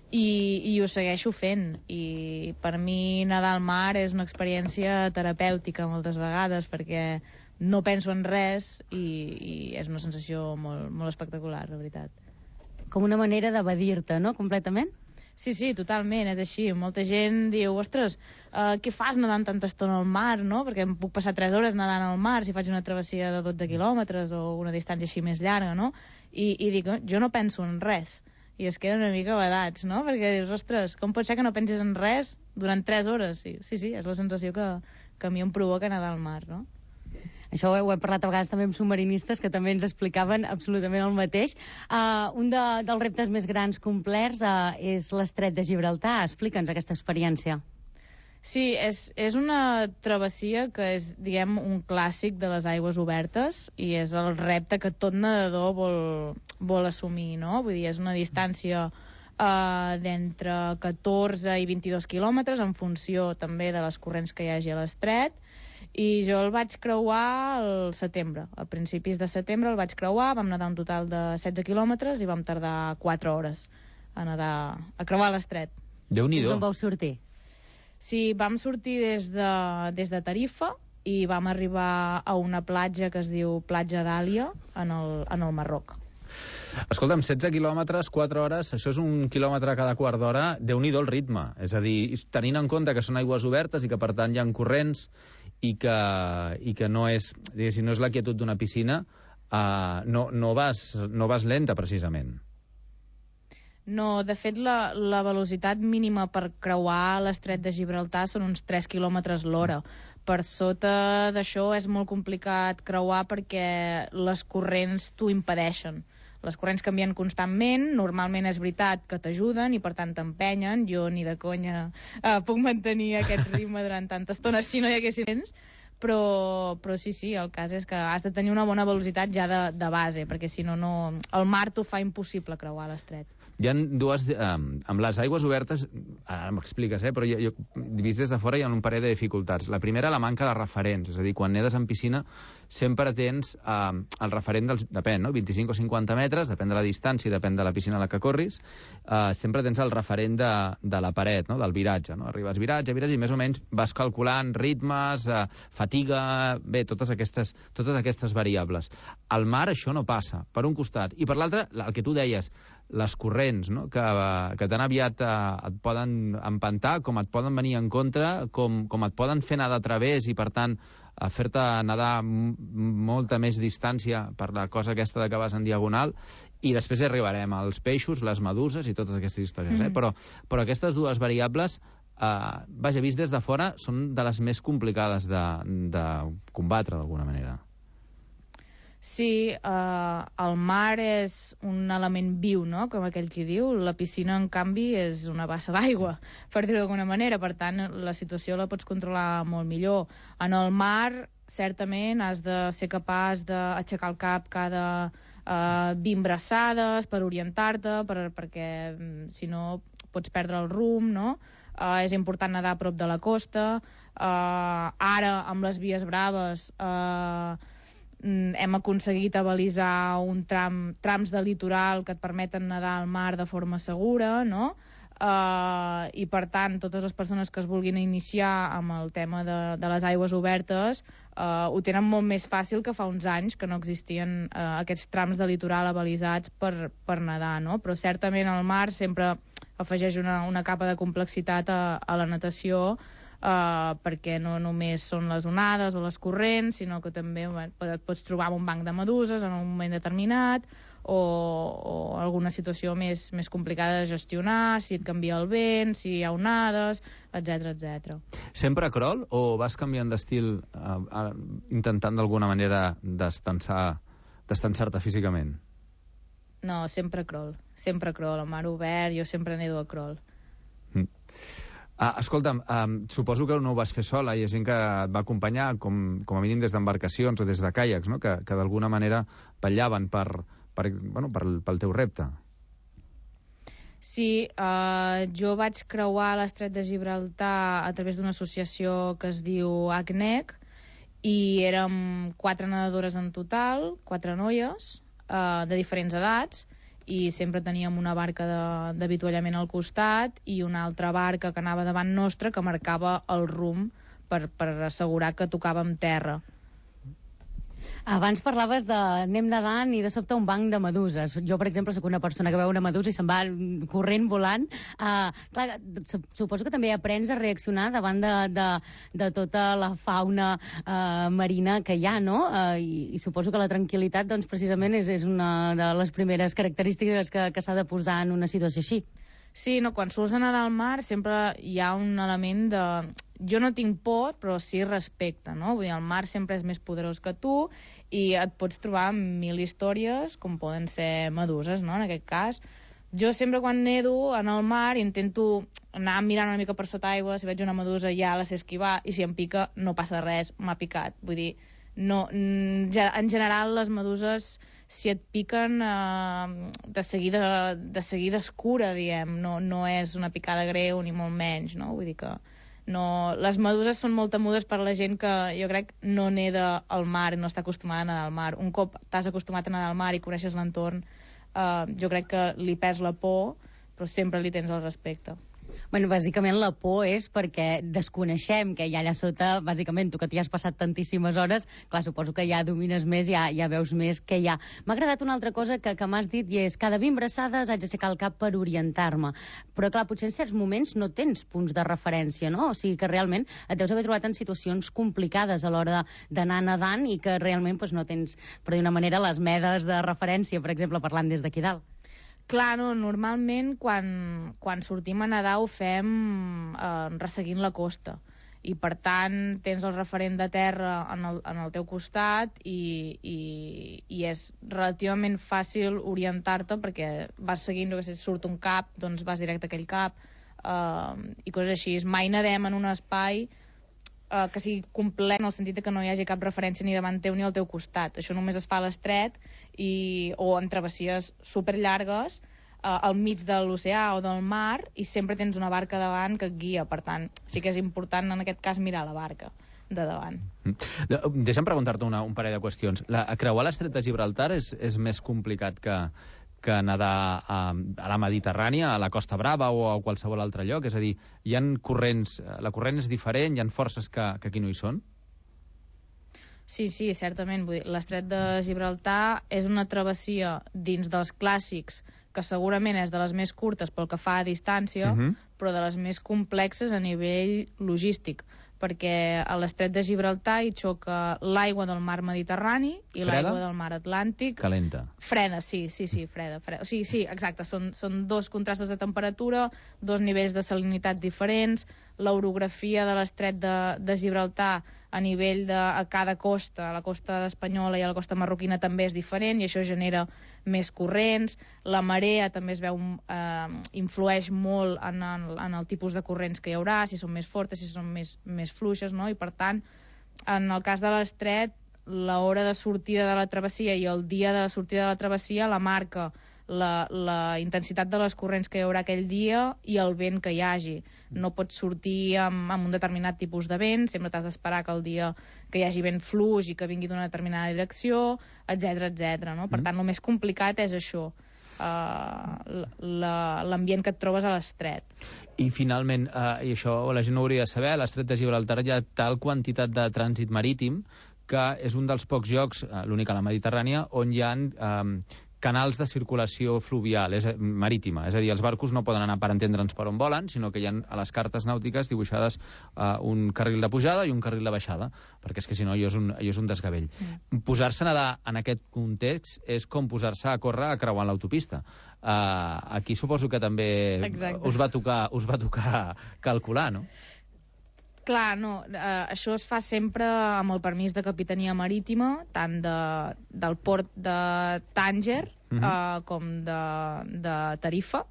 i, i ho segueixo fent. I per mi nedar al mar és una experiència terapèutica moltes vegades, perquè no penso en res i, i és una sensació molt, molt espectacular, la veritat. Com una manera d'evadir-te, no?, completament? Sí, sí, totalment, és així. Molta gent diu, ostres, uh, què fas nedant tanta estona al mar, no? Perquè em puc passar tres hores nedant al mar si faig una travessia de dotze quilòmetres o una distància així més llarga, no? I, i dic, jo no penso en res. I es queden una mica badats, no? Perquè dius, ostres, com pot ser que no pensis en res durant tres hores? Sí, sí, sí, és la sensació que, que a mi em provoca nedar al mar, no? Això ho he parlat a vegades també amb submarinistes que també ens explicaven absolutament el mateix. Uh, un de, dels reptes més grans complerts uh, és l'Estret de Gibraltar. Explica'ns aquesta experiència. Sí, és, és una travessia que és, diguem, un clàssic de les aigües obertes i és el repte que tot nedador vol, vol assumir, no? Vull dir, és una distància uh, d'entre catorze i vint-i-dos quilòmetres en funció també de les corrents que hi hagi a l'estret. I jo el vaig creuar al setembre. A principis de setembre el vaig creuar, vam nedar un total de setze quilòmetres i vam tardar quatre hores a nedar, a creuar l'estret. Déu-n'hi-do. D'on vau sortir? Sí, vam sortir des de, des de Tarifa i vam arribar a una platja que es diu Platja d'Àlia en el, en el Marroc. Escolta'm, setze quilòmetres, quatre hores, això és un quilòmetre cada quart d'hora, Déu-n'hi-do el ritme. És a dir, tenint en compte que són aigües obertes i que per tant hi ha corrents i que, i que no és, diguéssim, no és la quietud d'una piscina, uh, no, no, vas, no vas lenta, precisament. No, de fet, la, la velocitat mínima per creuar l'estret de Gibraltar són uns tres quilòmetres l'hora. Per sota d'això és molt complicat creuar perquè les corrents t'ho impedeixen. Les corrents canvien constantment, normalment és veritat que t'ajuden i per tant t'empenyen. Jo ni de conya eh, puc mantenir aquest ritme durant tanta estona si no hi haguessin vents, però, però sí, sí, el cas és que has de tenir una bona velocitat ja de, de base, perquè si no, no, el mar t'ho fa impossible creuar l'estret. Hi ha dues... Eh, amb les aigües obertes, ara m'expliques, eh, però jo, jo, vist des de fora hi ha un parell de dificultats. La primera, la manca de referents, és a dir, quan nedes en piscina sempre tens eh, el referent dels... Depèn, no? vint-i-cinc o cinquanta metres, depèn de la distància, depèn de la piscina a la que corris, eh, sempre tens el referent de, de la paret, no? Del viratge, no? Arribes viratge, viratge, i més o menys vas calculant ritmes, eh, fatiga, bé, totes aquestes, totes aquestes variables. Al mar això no passa, per un costat. I per l'altre, el que tu deies, les corrents, no? que, que tan aviat eh, et poden empantar, com et poden venir en contra, com, com et poden fer anar de través i, per tant, a fer-te nedar molta més distància per la cosa aquesta de que vas en diagonal, i després hi arribarem als peixos, les meduses i totes aquestes històries. Mm. Eh? Però, però aquestes dues variables, eh, vaja, vist des de fora, són de les més complicades de, de combatre, d'alguna manera. Sí, eh, el mar és un element viu, no?, com aquell qui diu. La piscina, en canvi, és una bassa d'aigua, per dir-ho d'alguna manera. Per tant, la situació la pots controlar molt millor. En el mar, certament, has de ser capaç d'aixecar el cap cada eh, vint braçades per orientar-te, per, perquè, si no, pots perdre el rumb, no? Eh, és important nedar a prop de la costa. Eh, ara, amb les vies braves... Eh, hem aconseguit avalisar un tram, trams de litoral que et permeten nedar al mar de forma segura, no? Uh, I, per tant, totes les persones que es vulguin iniciar amb el tema de, de les aigües obertes uh, ho tenen molt més fàcil que fa uns anys que no existien uh, aquests trams de litoral avalisats per, per nedar, no? Però certament el mar sempre afegeix una, una capa de complexitat a, a la natació, Uh, perquè no només són les onades o les corrents, sinó que també bueno, et pots trobar amb un banc de meduses en un moment determinat, o, o alguna situació més, més complicada de gestionar, si et canvia el vent, si hi ha onades, etcètera, etcètera. Sempre crawl o vas canviant d'estil uh, uh, intentant d'alguna manera destensar, destensar-te físicament? No, sempre crawl, sempre crawl, al mar obert, jo sempre nedo a crawl. Mm. Ah, escolta'm, um, suposo que no ho vas fer sola, hi ha gent que et va acompanyar, com, com a mínim des d'embarcacions o des de caiacs, no? que, que d'alguna manera vetllaven per, per, bueno, per, pel teu repte. Sí, uh, jo vaig creuar l'estret de Gibraltar a través d'una associació que es diu A C N E C, i érem quatre nedadores en total, quatre noies, uh, de diferents edats, i sempre teníem una barca d'avituallament al costat i una altra barca que anava davant nostra que marcava el rumb per, per assegurar que tocàvem terra. Abans parlaves de anem nedant i de sobte un banc de meduses. Jo, per exemple, sóc una persona que veu una medusa i se'n va corrent, volant. Uh, clar, suposo que també aprens a reaccionar davant de, de, de tota la fauna uh, marina que hi ha, no? Uh, i, I suposo que la tranquil·litat, doncs, precisament, és, és una de les primeres característiques que, que s'ha de posar en una situació així. Sí, no, quan surts a nedar al mar sempre hi ha un element de... Jo no tinc por, però sí respecte, no? Vull dir, el mar sempre és més poderós que tu i et pots trobar mil històries, com poden ser meduses, no?, en aquest cas. Jo sempre quan nedo en el mar intento anar mirant una mica per sota aigua, si veig una medusa ja la sé esquivar, i si em pica no passa res, m'ha picat. Vull dir, no, en general les meduses, si et piquen, eh, de seguida de seguida es cura, diem, no, no és una picada greu ni molt menys, no? Vull dir que no... Les meduses són molt temudes per la gent que jo crec no neda al mar i no està acostumada a nedar al mar. Un cop t'has acostumat a nedar al mar i coneixes l'entorn, eh, jo crec que li pes la por, però sempre li tens el respecte. Bueno, bàsicament la por és perquè desconeixem què hi ha allà sota. Bàsicament, tu que t'hi has passat tantíssimes hores, clar, suposo que ja domines més, ja, ja veus més què hi ha. M'ha agradat una altra cosa que, que m'has dit, i és cada vint braçades haig d'aixecar el cap per orientar-me. Però, clar, potser en certs moments no tens punts de referència, no? O sigui que realment et deus haver trobat en situacions complicades a l'hora d'anar nedant i que realment doncs, no tens, per dir una manera, les medes de referència, per exemple, parlant des d'aquí dalt. Clar, no, normalment quan, quan sortim a nedar ho fem eh, resseguint la costa. i per tant tens el referent de terra en el, en el teu costat i, i, i és relativament fàcil orientar-te perquè vas seguint, si surt un cap, doncs vas directe a aquell cap, uh, i coses així. Mai nedem en un espai Uh, que sigui complet en el sentit que no hi hagi cap referència ni davant teu ni al teu costat. Això només es fa a l'estret i, o en travessies superllargues uh, al mig de l'oceà o del mar, i sempre tens una barca davant que et guia. Per tant, sí que és important en aquest cas mirar la barca de davant. Mm. Deixa'm preguntar-te una, un parell de qüestions. La, creuar l'estret de Gibraltar és, és més complicat que, que nedar a, a la Mediterrània, a la Costa Brava o a qualsevol altre lloc? És a dir, hi ha corrents, la corrent és diferent, hi ha forces que, que aquí no hi són? Sí, sí, certament. L'estret de Gibraltar és una travessia dins dels clàssics, que segurament és de les més curtes pel que fa a distància, uh-huh. però de les més complexes a nivell logístic, perquè a l'estret de Gibraltar hi xoca l'aigua del mar Mediterrani i l'aigua del mar Atlàntic. Calenta. Freda, sí, sí, sí, freda. freda. O sigui, sí, exacte, són, són dos contrastes de temperatura, dos nivells de salinitat diferents, l'orografia de l'estret de, de Gibraltar a nivell de a cada costa, a la costa espanyola i a la costa marroquina també és diferent, i això genera més corrents. La marea també es veu, eh, influeix molt en el, en el tipus de corrents que hi haurà, si són més fortes, si són més, més fluixes, no? I per tant, en el cas de l'estret, l'hora de sortida de la travessia i el dia de sortida de la travessia la marca la, la intensitat de les corrents que hi haurà aquell dia i el vent que hi hagi. No pots sortir amb, amb un determinat tipus de vent, sempre t'has d'esperar que el dia que hi hagi vent fluix i que vingui d'una determinada direcció, etc etc. No? Per tant, el més complicat és això, uh, l'ambient que et trobes a l'estret. I finalment, uh, i això la gent ho hauria de saber, a l'estret de Gibraltar hi ha tal quantitat de trànsit marítim que és un dels pocs llocs, uh, l'únic a la Mediterrània, on hi ha um, canals de circulació fluvial, és marítima. És a dir, els barcos no poden anar per entendre'ns per on volen, sinó que hi ha a les cartes nàutiques dibuixades uh, un carril de pujada i un carril de baixada, perquè és que si no allò és un, allò és un desgavell. Mm. Posar-se a nedar en aquest context és com posar-se a córrer a creuar l'autopista. Uh, aquí suposo que també us va tocar, us va tocar calcular, no? Clar, no, eh, això es fa sempre amb el permís de Capitania Marítima, tant de, del port de Tànger uh-huh. eh, com de, de Tarifa,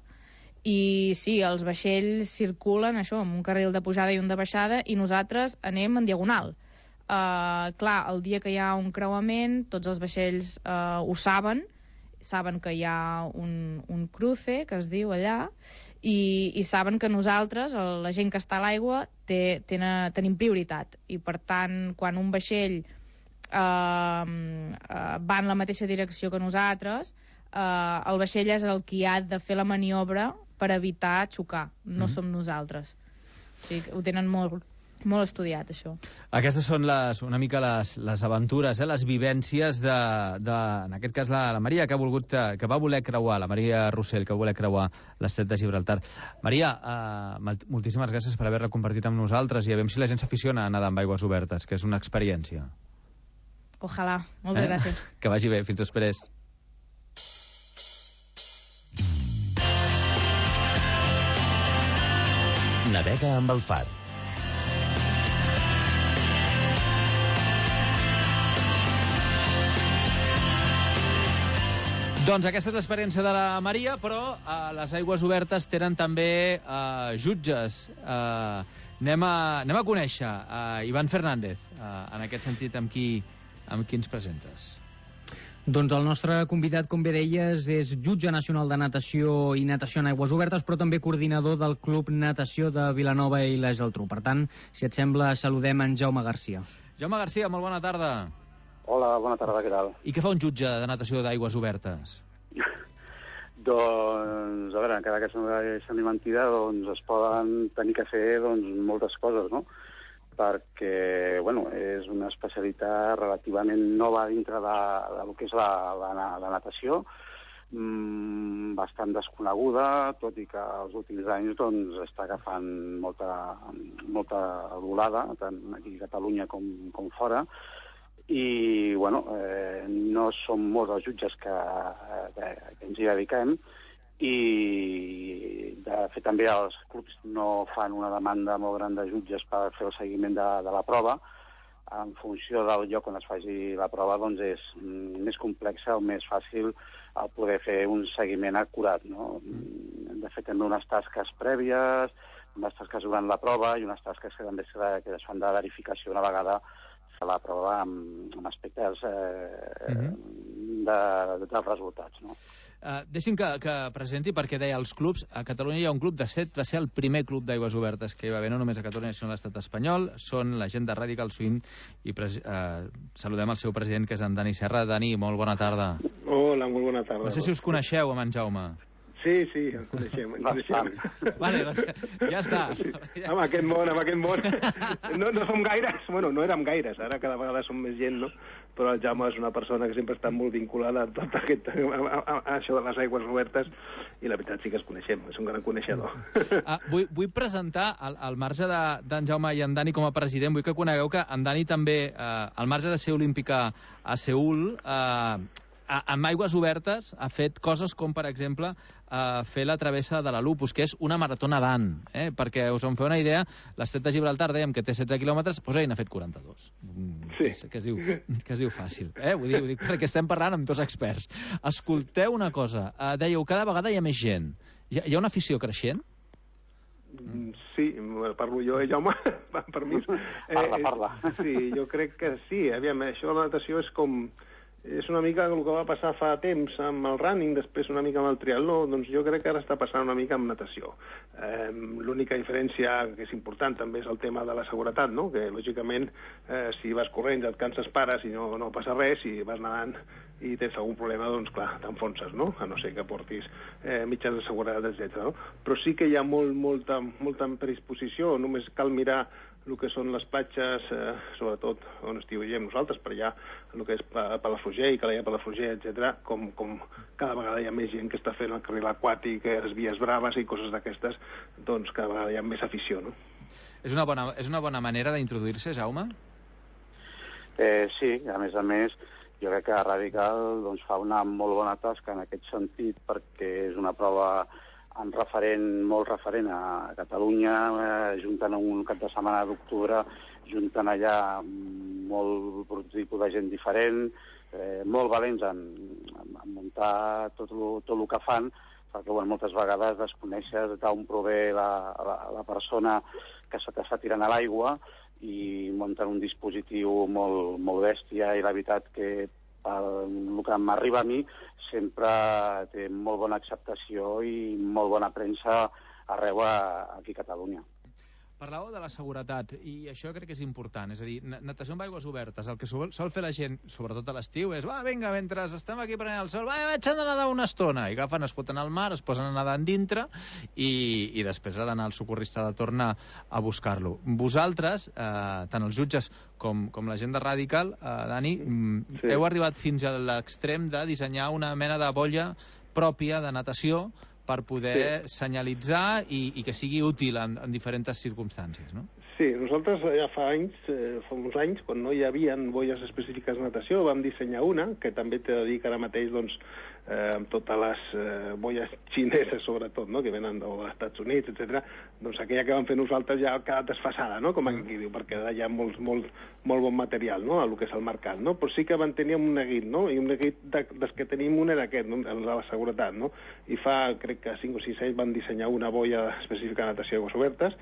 i sí, els vaixells circulen això, amb un carril de pujada i un de baixada, i nosaltres anem en diagonal. Eh, clar, el dia que hi ha un creuament, tots els vaixells eh, ho saben, saben que hi ha un, un cruce, que es diu allà, i, i saben que nosaltres, la gent que està a l'aigua, té, tenen, tenim prioritat. I, per tant, quan un vaixell eh, eh, va en la mateixa direcció que nosaltres, eh, el vaixell és el qui ha de fer la maniobra per evitar xocar, no mm. som nosaltres. O sigui, ho tenen molt... molt estudiat, això. Aquestes són les, una mica les, les aventures, eh, les vivències de, de, en aquest cas, la, la Maria, que ha volgut, que va voler creuar, la Maria Rossell, que va voler creuar l'estret de Gibraltar. Maria, eh, moltíssimes gràcies per haver-la compartit amb nosaltres, i a veure si la gent s'aficiona a nedar amb aigües obertes, que és una experiència. Ojalà. Moltes eh? gràcies. Que vagi bé. Fins després. Navega amb el Far. Doncs aquesta és l'experiència de la Maria, però a les aigües obertes tenen també uh, jutges. Uh, anem, a, anem a conèixer uh, Ivan Fernández, uh, en aquest sentit, amb qui, amb qui ens presentes. Doncs el nostre convidat, com bé deies, és jutge nacional de natació i natació en aigües obertes, però també coordinador del Club Natació de Vilanova i la Geltrú. Per tant, si et sembla, saludem en Jaume Garcia. Jaume Garcia, molt bona tarda. Hola, bona tarda, què tal? I què fa un jutge de natació d'aigües obertes? Doncs, a veure, encara que sembli mentida, doncs es poden tenir que fer doncs, moltes coses, no? Perquè, bueno, és una especialitat relativament nova dintre de, de lo que és la, la, la natació, mmm, bastant desconeguda, tot i que els últims anys doncs, està agafant molta, molta volada, tant aquí a Catalunya com, com fora, i, bueno, eh, no som molts els jutges que, que, que ens hi dediquem, i de fet també els clubs no fan una demanda molt gran de jutges per fer el seguiment de, de la prova. En funció del lloc on es faci la prova, doncs és més complexa o més fàcil el poder fer un seguiment acurat, no? De fet, també unes tasques prèvies, unes tasques durant la prova i unes tasques que també que es fan de verificació una vegada se la prova amb, amb aspectes eh, uh-huh. de, de, dels resultats, no? Uh, deixi'm que, que presenti, perquè deia els clubs. A Catalunya hi ha un club, de set, va ser el primer club d'aigües obertes que hi va haver, no només a Catalunya, sinó a l'estat espanyol. Són la gent de Radical Swim i pres, uh, saludem el seu president, que és en Dani Serra. Dani, molt bona tarda. Hola, molt bona tarda. No sé si us coneixeu amb en Jaume. Sí, sí, ens coneixem, ens coneixem. Vale, doncs ja està. Sí. Amb aquest món, amb aquest món. No, no som gaires, bueno, no érem gaires, ara cada vegada som més gent, no? Però el Jaume és una persona que sempre està molt vinculada a tot aquest, a, a, a això de les aigües obertes, i la veritat sí que ens coneixem, és un gran coneixedor. Ah, vull, vull presentar, al, al marge d'en de, Jaume i en Dani com a president, vull que conegueu que en Dani també, eh, al marge de ser olímpica a Seül, eh, amb aigües obertes ha fet coses com, per exemple, eh, fer la travessa de la Lupus, que és una marató nedant, eh? Perquè us en feu una idea, l'Estret de Gibraltar dèiem que té setze quilòmetres, doncs ell n'ha fet quaranta-dos. Sí. Que es diu, que es diu fàcil. Eh? Ho, dic, ho dic perquè estem parlant amb dos experts. Escolteu una cosa, eh, dèieu, cada vegada hi ha més gent. Hi ha, hi ha una afició creixent? Sí, parlo jo, eh, Jaume? Permís. Parla, parla. Eh, sí, jo crec que sí. Aviam, això de la natació és com... És una mica el que va passar fa temps amb el running, després una mica amb el triatló, doncs jo crec que ara està passant una mica amb natació. Eh, L'única diferència que és important també és el tema de la seguretat, no? Que lògicament eh, si vas corrents et canses, pares i no, no passa res, si vas nedant i tens algun problema, doncs clar, t'enfonses, no? A no ser que portis eh, mitjans de seguretat, etcètera. No? Però sí que hi ha molt, molta, molta predisposició, només cal mirar el que són les platges, eh, sobretot on estiguem nosaltres, per allà, el que és Palafrugell, Calella, Palafrugell, etcètera, com, com cada vegada hi ha més gent que està fent el carril aquàtic, les vies braves i coses d'aquestes, doncs cada vegada hi ha més afició, no? És una bona, és una bona manera d'introduir-se, Jaume? Eh, sí, a més a més, jo crec que Radical doncs, fa una molt bona tasca en aquest sentit, perquè és una prova en referent, molt referent a Catalunya, eh, juntant un cap de setmana d'octubre, juntant allà molt tipus de gent diferent, eh, molt valents en, en, en muntar tot el, tot el que fan, perquè bueno, moltes vegades desconeixes d'on prové la, la, la persona que se t'està tirant a l'aigua i munten un dispositiu molt, molt bèstia, i la veritat que el que m'arriba a mi sempre té molt bona acceptació i molt bona premsa arreu aquí a Catalunya. Parlàveu de la seguretat, i això crec que és important, és a dir, natació amb aigües obertes, el que sol, sol fer la gent, sobretot a l'estiu, és, va, vinga, mentre estem aquí prenent el sol, va, vaig a nedar una estona, i agafen, es foten al mar, es posen a nedar en dintre, i, i després ha d'anar el socorrista de tornar a buscar-lo. Vosaltres, eh, tant els jutges com, com la gent de Radical, eh, Dani, sí. heu arribat fins a l'extrem de dissenyar una mena de bolla pròpia de natació per poder sí. senyalitzar i, i que sigui útil en, en diferents circumstàncies, no? Sí, nosaltres ja fa anys, eh, fa uns anys, quan no hi havia bolles específiques de natació, vam dissenyar una, que també t'he de dir que ara mateix, doncs, eh, amb totes les eh, bolles xineses, sobretot, no?, que venen dels Estats Units, etcètera, doncs aquella que vam fer nosaltres ja ha quedat desfasada, no?, com aquí diu, perquè hi ha molt, molt, molt bon material, no?, a lo que és el mercat, no?, però sí que van tenir un neguit, no?, i un neguit de, dels que tenim un era aquest, no?, el de la seguretat, no?, i fa, crec que cinc o sis anys van dissenyar una bolla específica de natació d'aigües obertes,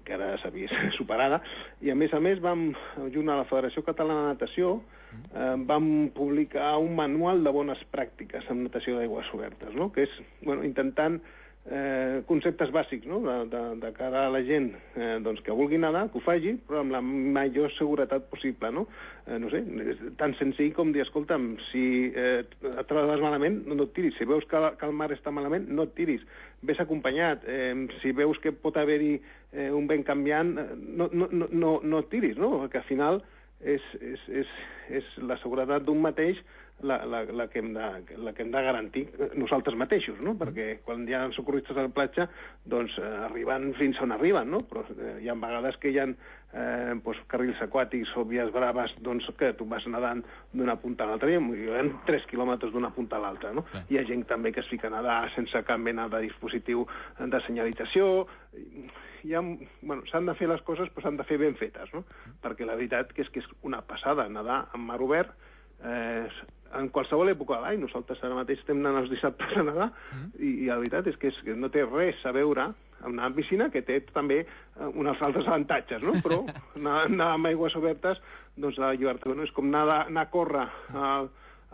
que ara s'ha vist superada, i a més a més vam, junt a la Federació Catalana de Natació, eh, vam publicar un manual de bones pràctiques en natació d'aigües obertes, no?, que és, bueno, intentant eh, conceptes bàsics, no?, de, de, de cara a la gent eh, doncs, que vulgui nedar, que ho faci, però amb la major seguretat possible, no? Eh, no sé, és tan senzill com dir, escolta'm, si eh, et trobes malament, no, no et tiris. Si veus que, que el mar està malament, no et tiris. Ves acompanyat. Eh, si veus que pot haver-hi eh, un vent canviant, no, no, no, no, no et tiris, no? Perquè al final és, és, és, és la seguretat d'un mateix la, la, la, que hem de, la que hem de garantir nosaltres mateixos, no? Perquè quan hi ha socorristes a la platja, doncs eh, arriben fins on arriben, no? Però eh, hi ha vegades que hi ha eh, doncs, carrils aquàtics o vies braves, doncs que tu vas nedant d'una punta a l'altra, hi ha tres quilòmetres d'una punta a l'altra, no? Sí. Hi ha gent també que es fica a nedar sense cap mena de dispositiu de senyalització. Hi ha, bueno, s'han de fer les coses, però s'han de fer ben fetes, no? Perquè la veritat que és que és una passada nedar en mar obert, eh, en qualsevol època de l'any. Nosaltres ara mateix estem anant els dissabtes a nedar, mm. i, i la veritat és que, és que no té res a veure amb anar a piscina, que té també eh, uns altres avantatges, no? Però anar, anar amb aigües obertes, doncs la llibertat, no? És com anar, anar a córrer a,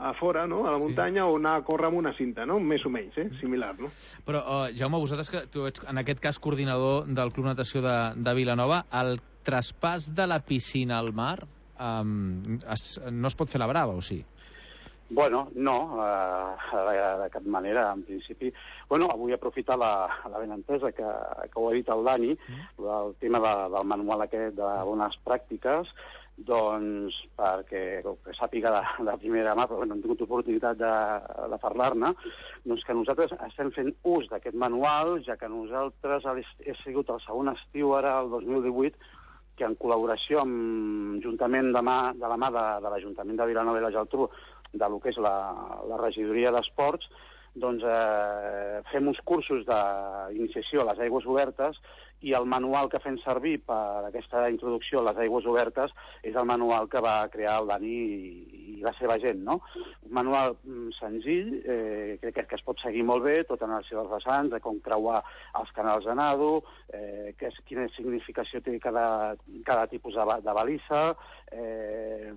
a fora, no? A la muntanya, sí. O anar a córrer amb una cinta, no? Més o menys, eh? Similar, no? Però, uh, Jaume, vosaltres, que tu ets, en aquest cas, coordinador del Club Natació de, de Vilanova, el traspàs de la piscina al mar um, es, no es pot fer la brava, o sí? Bueno, no, eh, de, de cap manera, en principi. Bueno, avui aprofitar la, la benentesa que, que ho ha dit el Dani, mm. el tema de, del manual aquest de bones pràctiques, doncs perquè que sàpiga de, de primera mà, però no hem tingut oportunitat de, de parlar-ne, doncs que nosaltres estem fent ús d'aquest manual, ja que nosaltres he sigut el segon estiu ara, el dos mil divuit, que en col·laboració amb Juntament de, mà, de la mà de, de l'Ajuntament de Vilanova i la Geltrú, de lo que és la, la regidoria d'esports, doncs eh, fem uns cursos d'iniciació a les aigües obertes, i el manual que fem servir per aquesta introducció a les aigües obertes és el manual que va crear el Dani i, i la seva gent, no? Un manual senzill, eh, crec que, que es pot seguir molt bé, tot en els seus vessants, de com creuar els canals de nado, eh, que és, quina significació té cada, cada tipus de, de balissa, eh,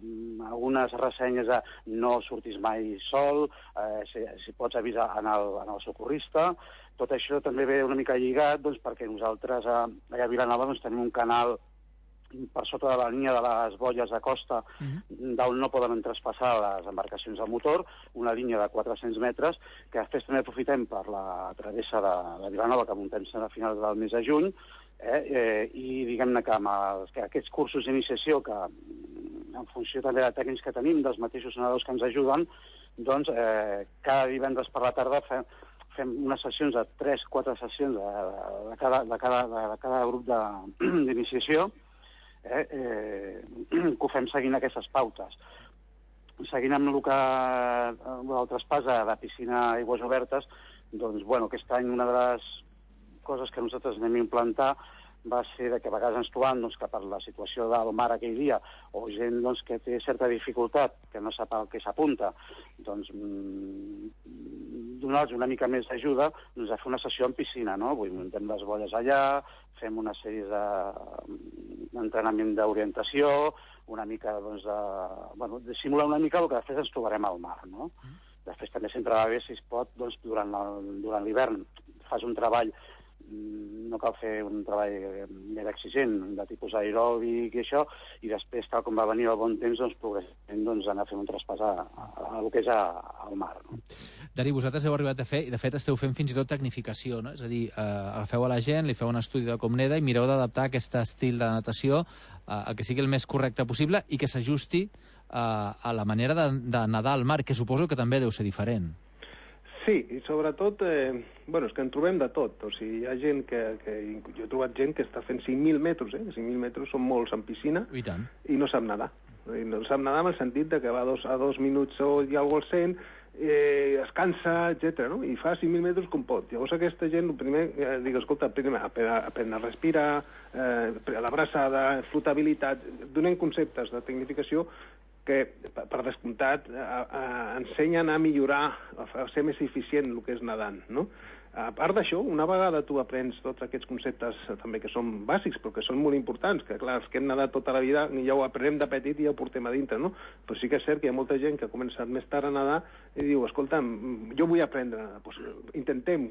algunes ressenyes de no surtis mai sol, eh, si, si pots avisar en el, en el socorrista. Tot això també ve una mica lligat, doncs, perquè nosaltres a, allà a Vilanova doncs, tenim un canal per sota de la línia de les boies de costa, uh-huh. d'on no poden traspassar les embarcacions de motor, una línia de quatre-cents metres, que després també aprofitem per la travessa de, de Vilanova, que muntem a finals del mes de juny, eh, eh, i diguem-ne que amb els, que aquests cursos d'iniciació, que en funció també de tècnics que tenim, dels mateixos nedadors que ens ajuden, doncs eh, cada divendres per la tarda fem fem unes sessions de tres quatre sessions de, de, cada, de, cada, de cada grup d'iniciació, eh, eh, que ho fem seguint aquestes pautes. Seguint amb el que el traspàs de, de piscina a aigües obertes, doncs, bueno, aquest any una de les coses que nosaltres anem a implantar va ser de que a vegades ens trobam doncs, que per la situació del mar aquell dia, o gent doncs, que té certa dificultat, que no sap el que s'apunta, doncs donar-los una mica més d'ajuda, doncs a fer una sessió en piscina, no? Vull muntem les bolles allà, fem una sèrie d'entrenament de, d'orientació, una mica, doncs, de, bueno, de simular una mica el que després ens trobarem al mar, no? Mm. Després també sempre va bé, si es pot, doncs, durant l'hivern fas un treball, no cal fer un treball més exigent, de tipus aeròbic i això, i després, tal com va venir el bon temps, doncs, progressivament doncs, anar a fer un traspàs a, a, a, a que és a, al mar. No? Dari, vosaltres heu arribat a fer, i de fet esteu fent fins i tot tecnificació, no? És a dir, eh, agafeu a la gent, li feu un estudi de com neda i mireu d'adaptar aquest estil de natació eh, a que sigui el més correcte possible i que s'ajusti eh, a la manera de, de nedar al mar, que suposo que també deu ser diferent. Sí, i sobretot, eh, bueno, és que en trobem de tot. O sigui, hi ha gent que, que... Jo he trobat gent que està fent cinc mil metres, eh? cinc mil metres són molts en piscina. I tant. I no sap nedar. I no sap nedar en el sentit de que va a dos, a dos minuts o hi ha algú al cent, eh, es cansa, etcètera, no? I fa cinc mil metres com pot. Llavors aquesta gent, el primer, eh, dic, escolta, primer, aprendre a respirar, eh, l'abraçada, flotabilitat, donem conceptes de tecnificació que, per descomptat, eh, eh, ensenyen a millorar, a ser més eficient el que és nedant, no? A part d'això, una vegada tu aprens tots aquests conceptes també que són bàsics, però que són molt importants, que clar, els que hem nedat tota la vida ja ho aprenem de petit i ja ho portem a dintre, no? Però sí que és cert que hi ha molta gent que ha començat més tard a nedar i diu, escolta, jo vull aprendre, doncs intentem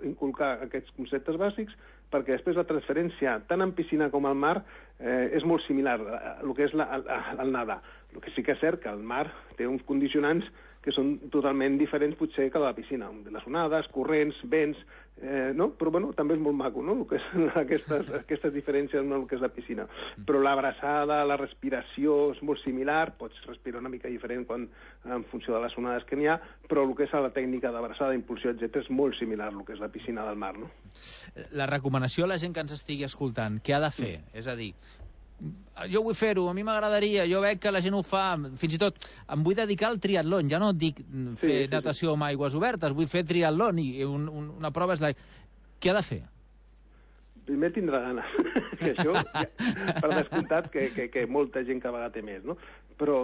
inculcar aquests conceptes bàsics perquè després la transferència, tant en piscina com al mar, eh, és molt similar al que és la, el, el nedar. El que sí que és cert que el mar té uns condicionants que són totalment diferents potser que la piscina, les onades, corrents, vents, eh, no? Però bueno, també és molt maco, no?, el que és aquestes, aquestes diferències amb el que és la piscina. Però l'abraçada, la respiració és molt similar, pots respirar una mica diferent quan, en funció de les onades que n'hi ha, però el que és la tècnica d'abraçada, impulsió, etcètera, és molt similar al que és la piscina del mar, no? La recomanació a la gent que ens estigui escoltant, què ha de fer? És a dir, jo vull fer-ho, a mi m'agradaria, jo veig que la gent ho fa, fins i tot em vull dedicar al triatlon, ja no dic fer sí, sí, natació sí. amb aigües obertes, vull fer triatlon i un, un, una prova és la... Què ha de fer? Primer tindrà gana, que això, per descomptat, que, que, que molta gent cada vegada té més, no? Però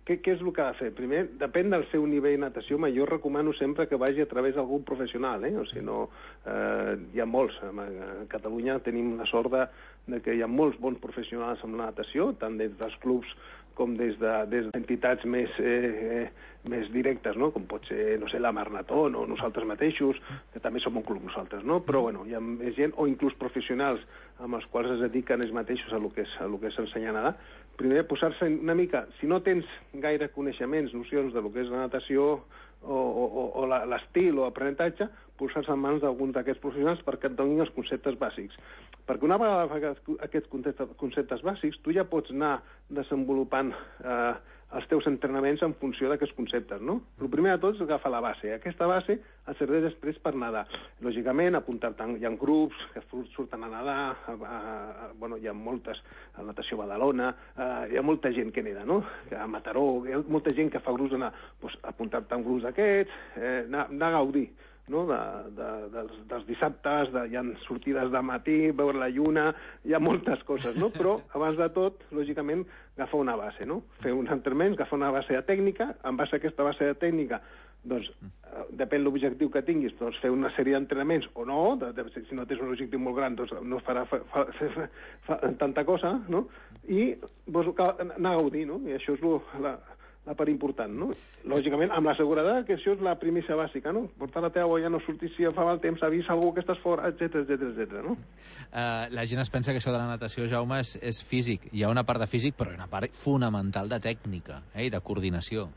què, què és el que ha de fer? Primer, depèn del seu nivell de natació, ma jo recomano sempre que vagi a través d'algun professional, eh? O sigui, no, eh, hi ha molts. A Catalunya tenim la sort de, de que hi ha molts bons professionals en la natació, tant des dels clubs com des de, des d'entitats més, eh, més directes, no? Com pot ser, no sé, la Marnatón o nosaltres mateixos, que també som un club nosaltres, no? Però, bueno, hi ha més gent, o inclús professionals amb els quals es dediquen ells mateixos a lo que és, a lo que és ensenyar a nedar. Primer, posar-se una mica, si no tens gaire coneixements, nocions de lo que és la natació o, o, o l'estil o aprenentatge, posar-se en mans d'algun d'aquests professionals perquè et donin els conceptes bàsics. Perquè una vegada aquests conceptes bàsics, tu ja pots anar desenvolupant eh, els teus entrenaments en funció d'aquests conceptes, no? El primer de tot és agafar la base. Aquesta base et serveix després per nedar. Lògicament, apuntar-te, hi ha grups que surten a nedar, a, a, a, bueno, hi ha moltes, a natació Badalona, a, hi ha molta gent que neda, no? A Mataró, hi ha molta gent que fa grups d'anar, doncs, apuntar-te en grups d'aquests, eh, anar, anar a gaudir, no? de, de, dels, dels dissabtes, de, hi ha sortides de matí, veure la lluna, hi ha moltes coses, no? Però, abans de tot, lògicament, agafar una base, no? Fer uns entrenaments, agafar una base de tècnica, en base a aquesta base de tècnica, doncs, depèn l'objectiu que tinguis, doncs fer una sèrie d'entrenaments o no, de, de, si no tens un objectiu molt gran, doncs no farà fa, fa, fa, fa, tanta cosa, no? I doncs, anar a gaudir, no? I això és lo, la, la part important, no? Lògicament, amb la seguretat, que això és la primícia bàsica, no? Portar la teva boia, no sortir si fa mal temps, avisa algú que estàs fora, etcètera, etcètera, etcètera, no? Uh, la gent es pensa que això de la natació, Jaume, és, és físic. Hi ha una part de físic, però hi ha una part fonamental de tècnica, eh? I de coordinació.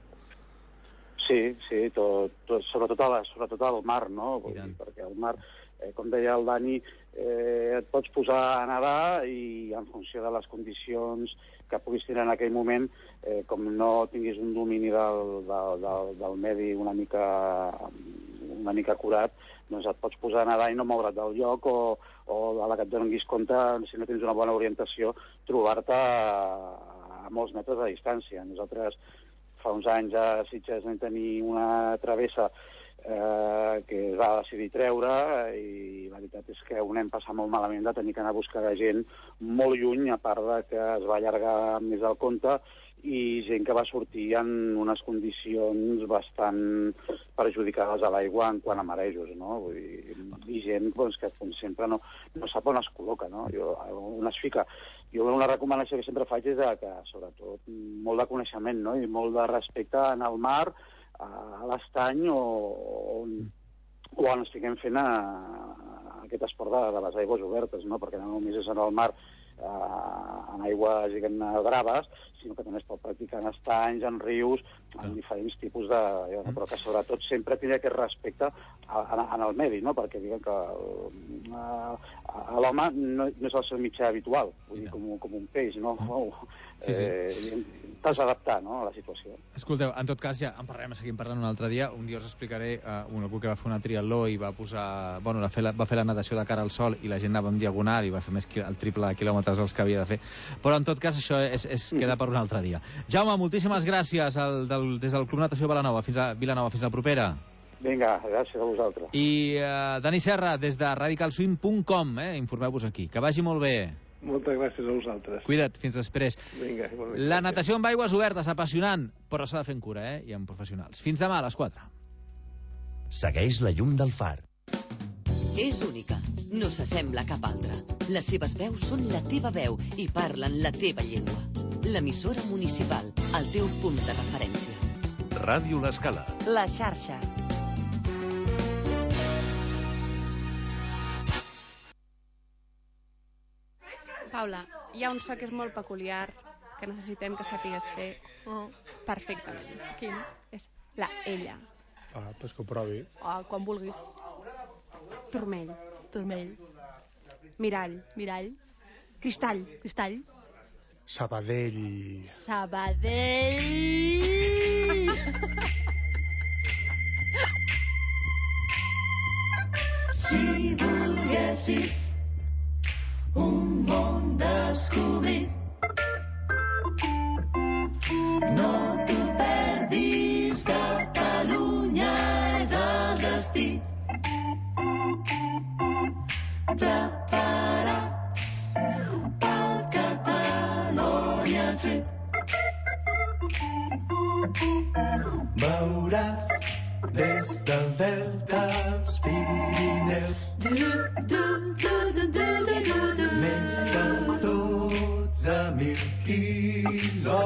Sí, sí, tot, tot, sobretot, a la, sobretot al mar, no? Vull dir, perquè al mar, eh, com deia el Dani, eh, et pots posar a nedar i en funció de les condicions que puguis tenir en aquell moment, eh, com no tinguis un domini del, del, del, del medi una mica, una mica acurat, doncs et pots posar a nedar i no moure't del lloc o, o a la que et donis compte, si no tens una bona orientació, trobar-te a, a molts metres de distància. Nosaltres fa uns anys a Sitges vam tenir una travessa eh, que es va decidir treure i la veritat és que ho anem passar molt malament de tenir que anar a buscar gent molt lluny, a part de que es va allargar més del compte i gent que va sortir en unes condicions bastant perjudicades a l'aigua en quant a marejos, no? Vull dir, i gent doncs, que com sempre no, no sap on es col·loca, no? Jo, on es fica. Jo una recomanació que sempre faig és que, sobretot, molt de coneixement, no? I molt de respecte en el mar, a l'estany o, o on estiguem fent a, a aquest esport de, de les aigües obertes, no? Perquè no només és en el mar eh, en aigües, diguem, braves, sinó que també es pot practicar en estanys, en rius, en diferents tipus de... però que sobretot sempre tindrà aquest respecte en el medi, no? Perquè diguem que l'home no, no és el seu mitjà habitual, vull dir, com, com un peix, no? Sí, sí. Eh, T'has d'adaptar, no?, a la situació. Escolteu, en tot cas, ja en parlarem, seguim parlant un altre dia. Un dia us explicaré uh, un algú que va fer una triatló i va posar... Bueno, va fer, la, va fer la natació de cara al sol i la gent anava en diagonal i va fer més el triple de quilòmetres dels que havia de fer. Però, en tot cas, això és, és queda per un altre dia. Jaume, moltíssimes gràcies al, del, des del Club Natació Vilanova. Fins a Vilanova, fins la propera. Vinga, gràcies a vosaltres. I uh, Dani Serra, des de radical swim punt com, eh? Informeu-vos aquí. Que vagi molt bé. Moltes gràcies a vosaltres. Cuida't, fins després. Vinga, la natació amb aigües obertes, apassionant, però s'ha de fer amb cura, eh? I amb professionals. Fins demà a les quatre. Segueix la llum del far. És única, no s'assembla a cap altra. Les seves veus són la teva veu i parlen la teva llengua. L'emissora municipal, el teu punt de referència. Ràdio L'Escala. La xarxa. Paula, hi ha un so que és molt peculiar que necessitem que sàpigues fer oh. perfectament. Quin? És la ella. Ah, pues que ho provi. Ah, quan vulguis. Turmell. Turmell. Mirall. Mirall. Cristall. Cristall. Sabadell. Sabadell. Si volguessis un món descobrit, Veuràs des del delta als Pirineus més de dotze mil quilòmetres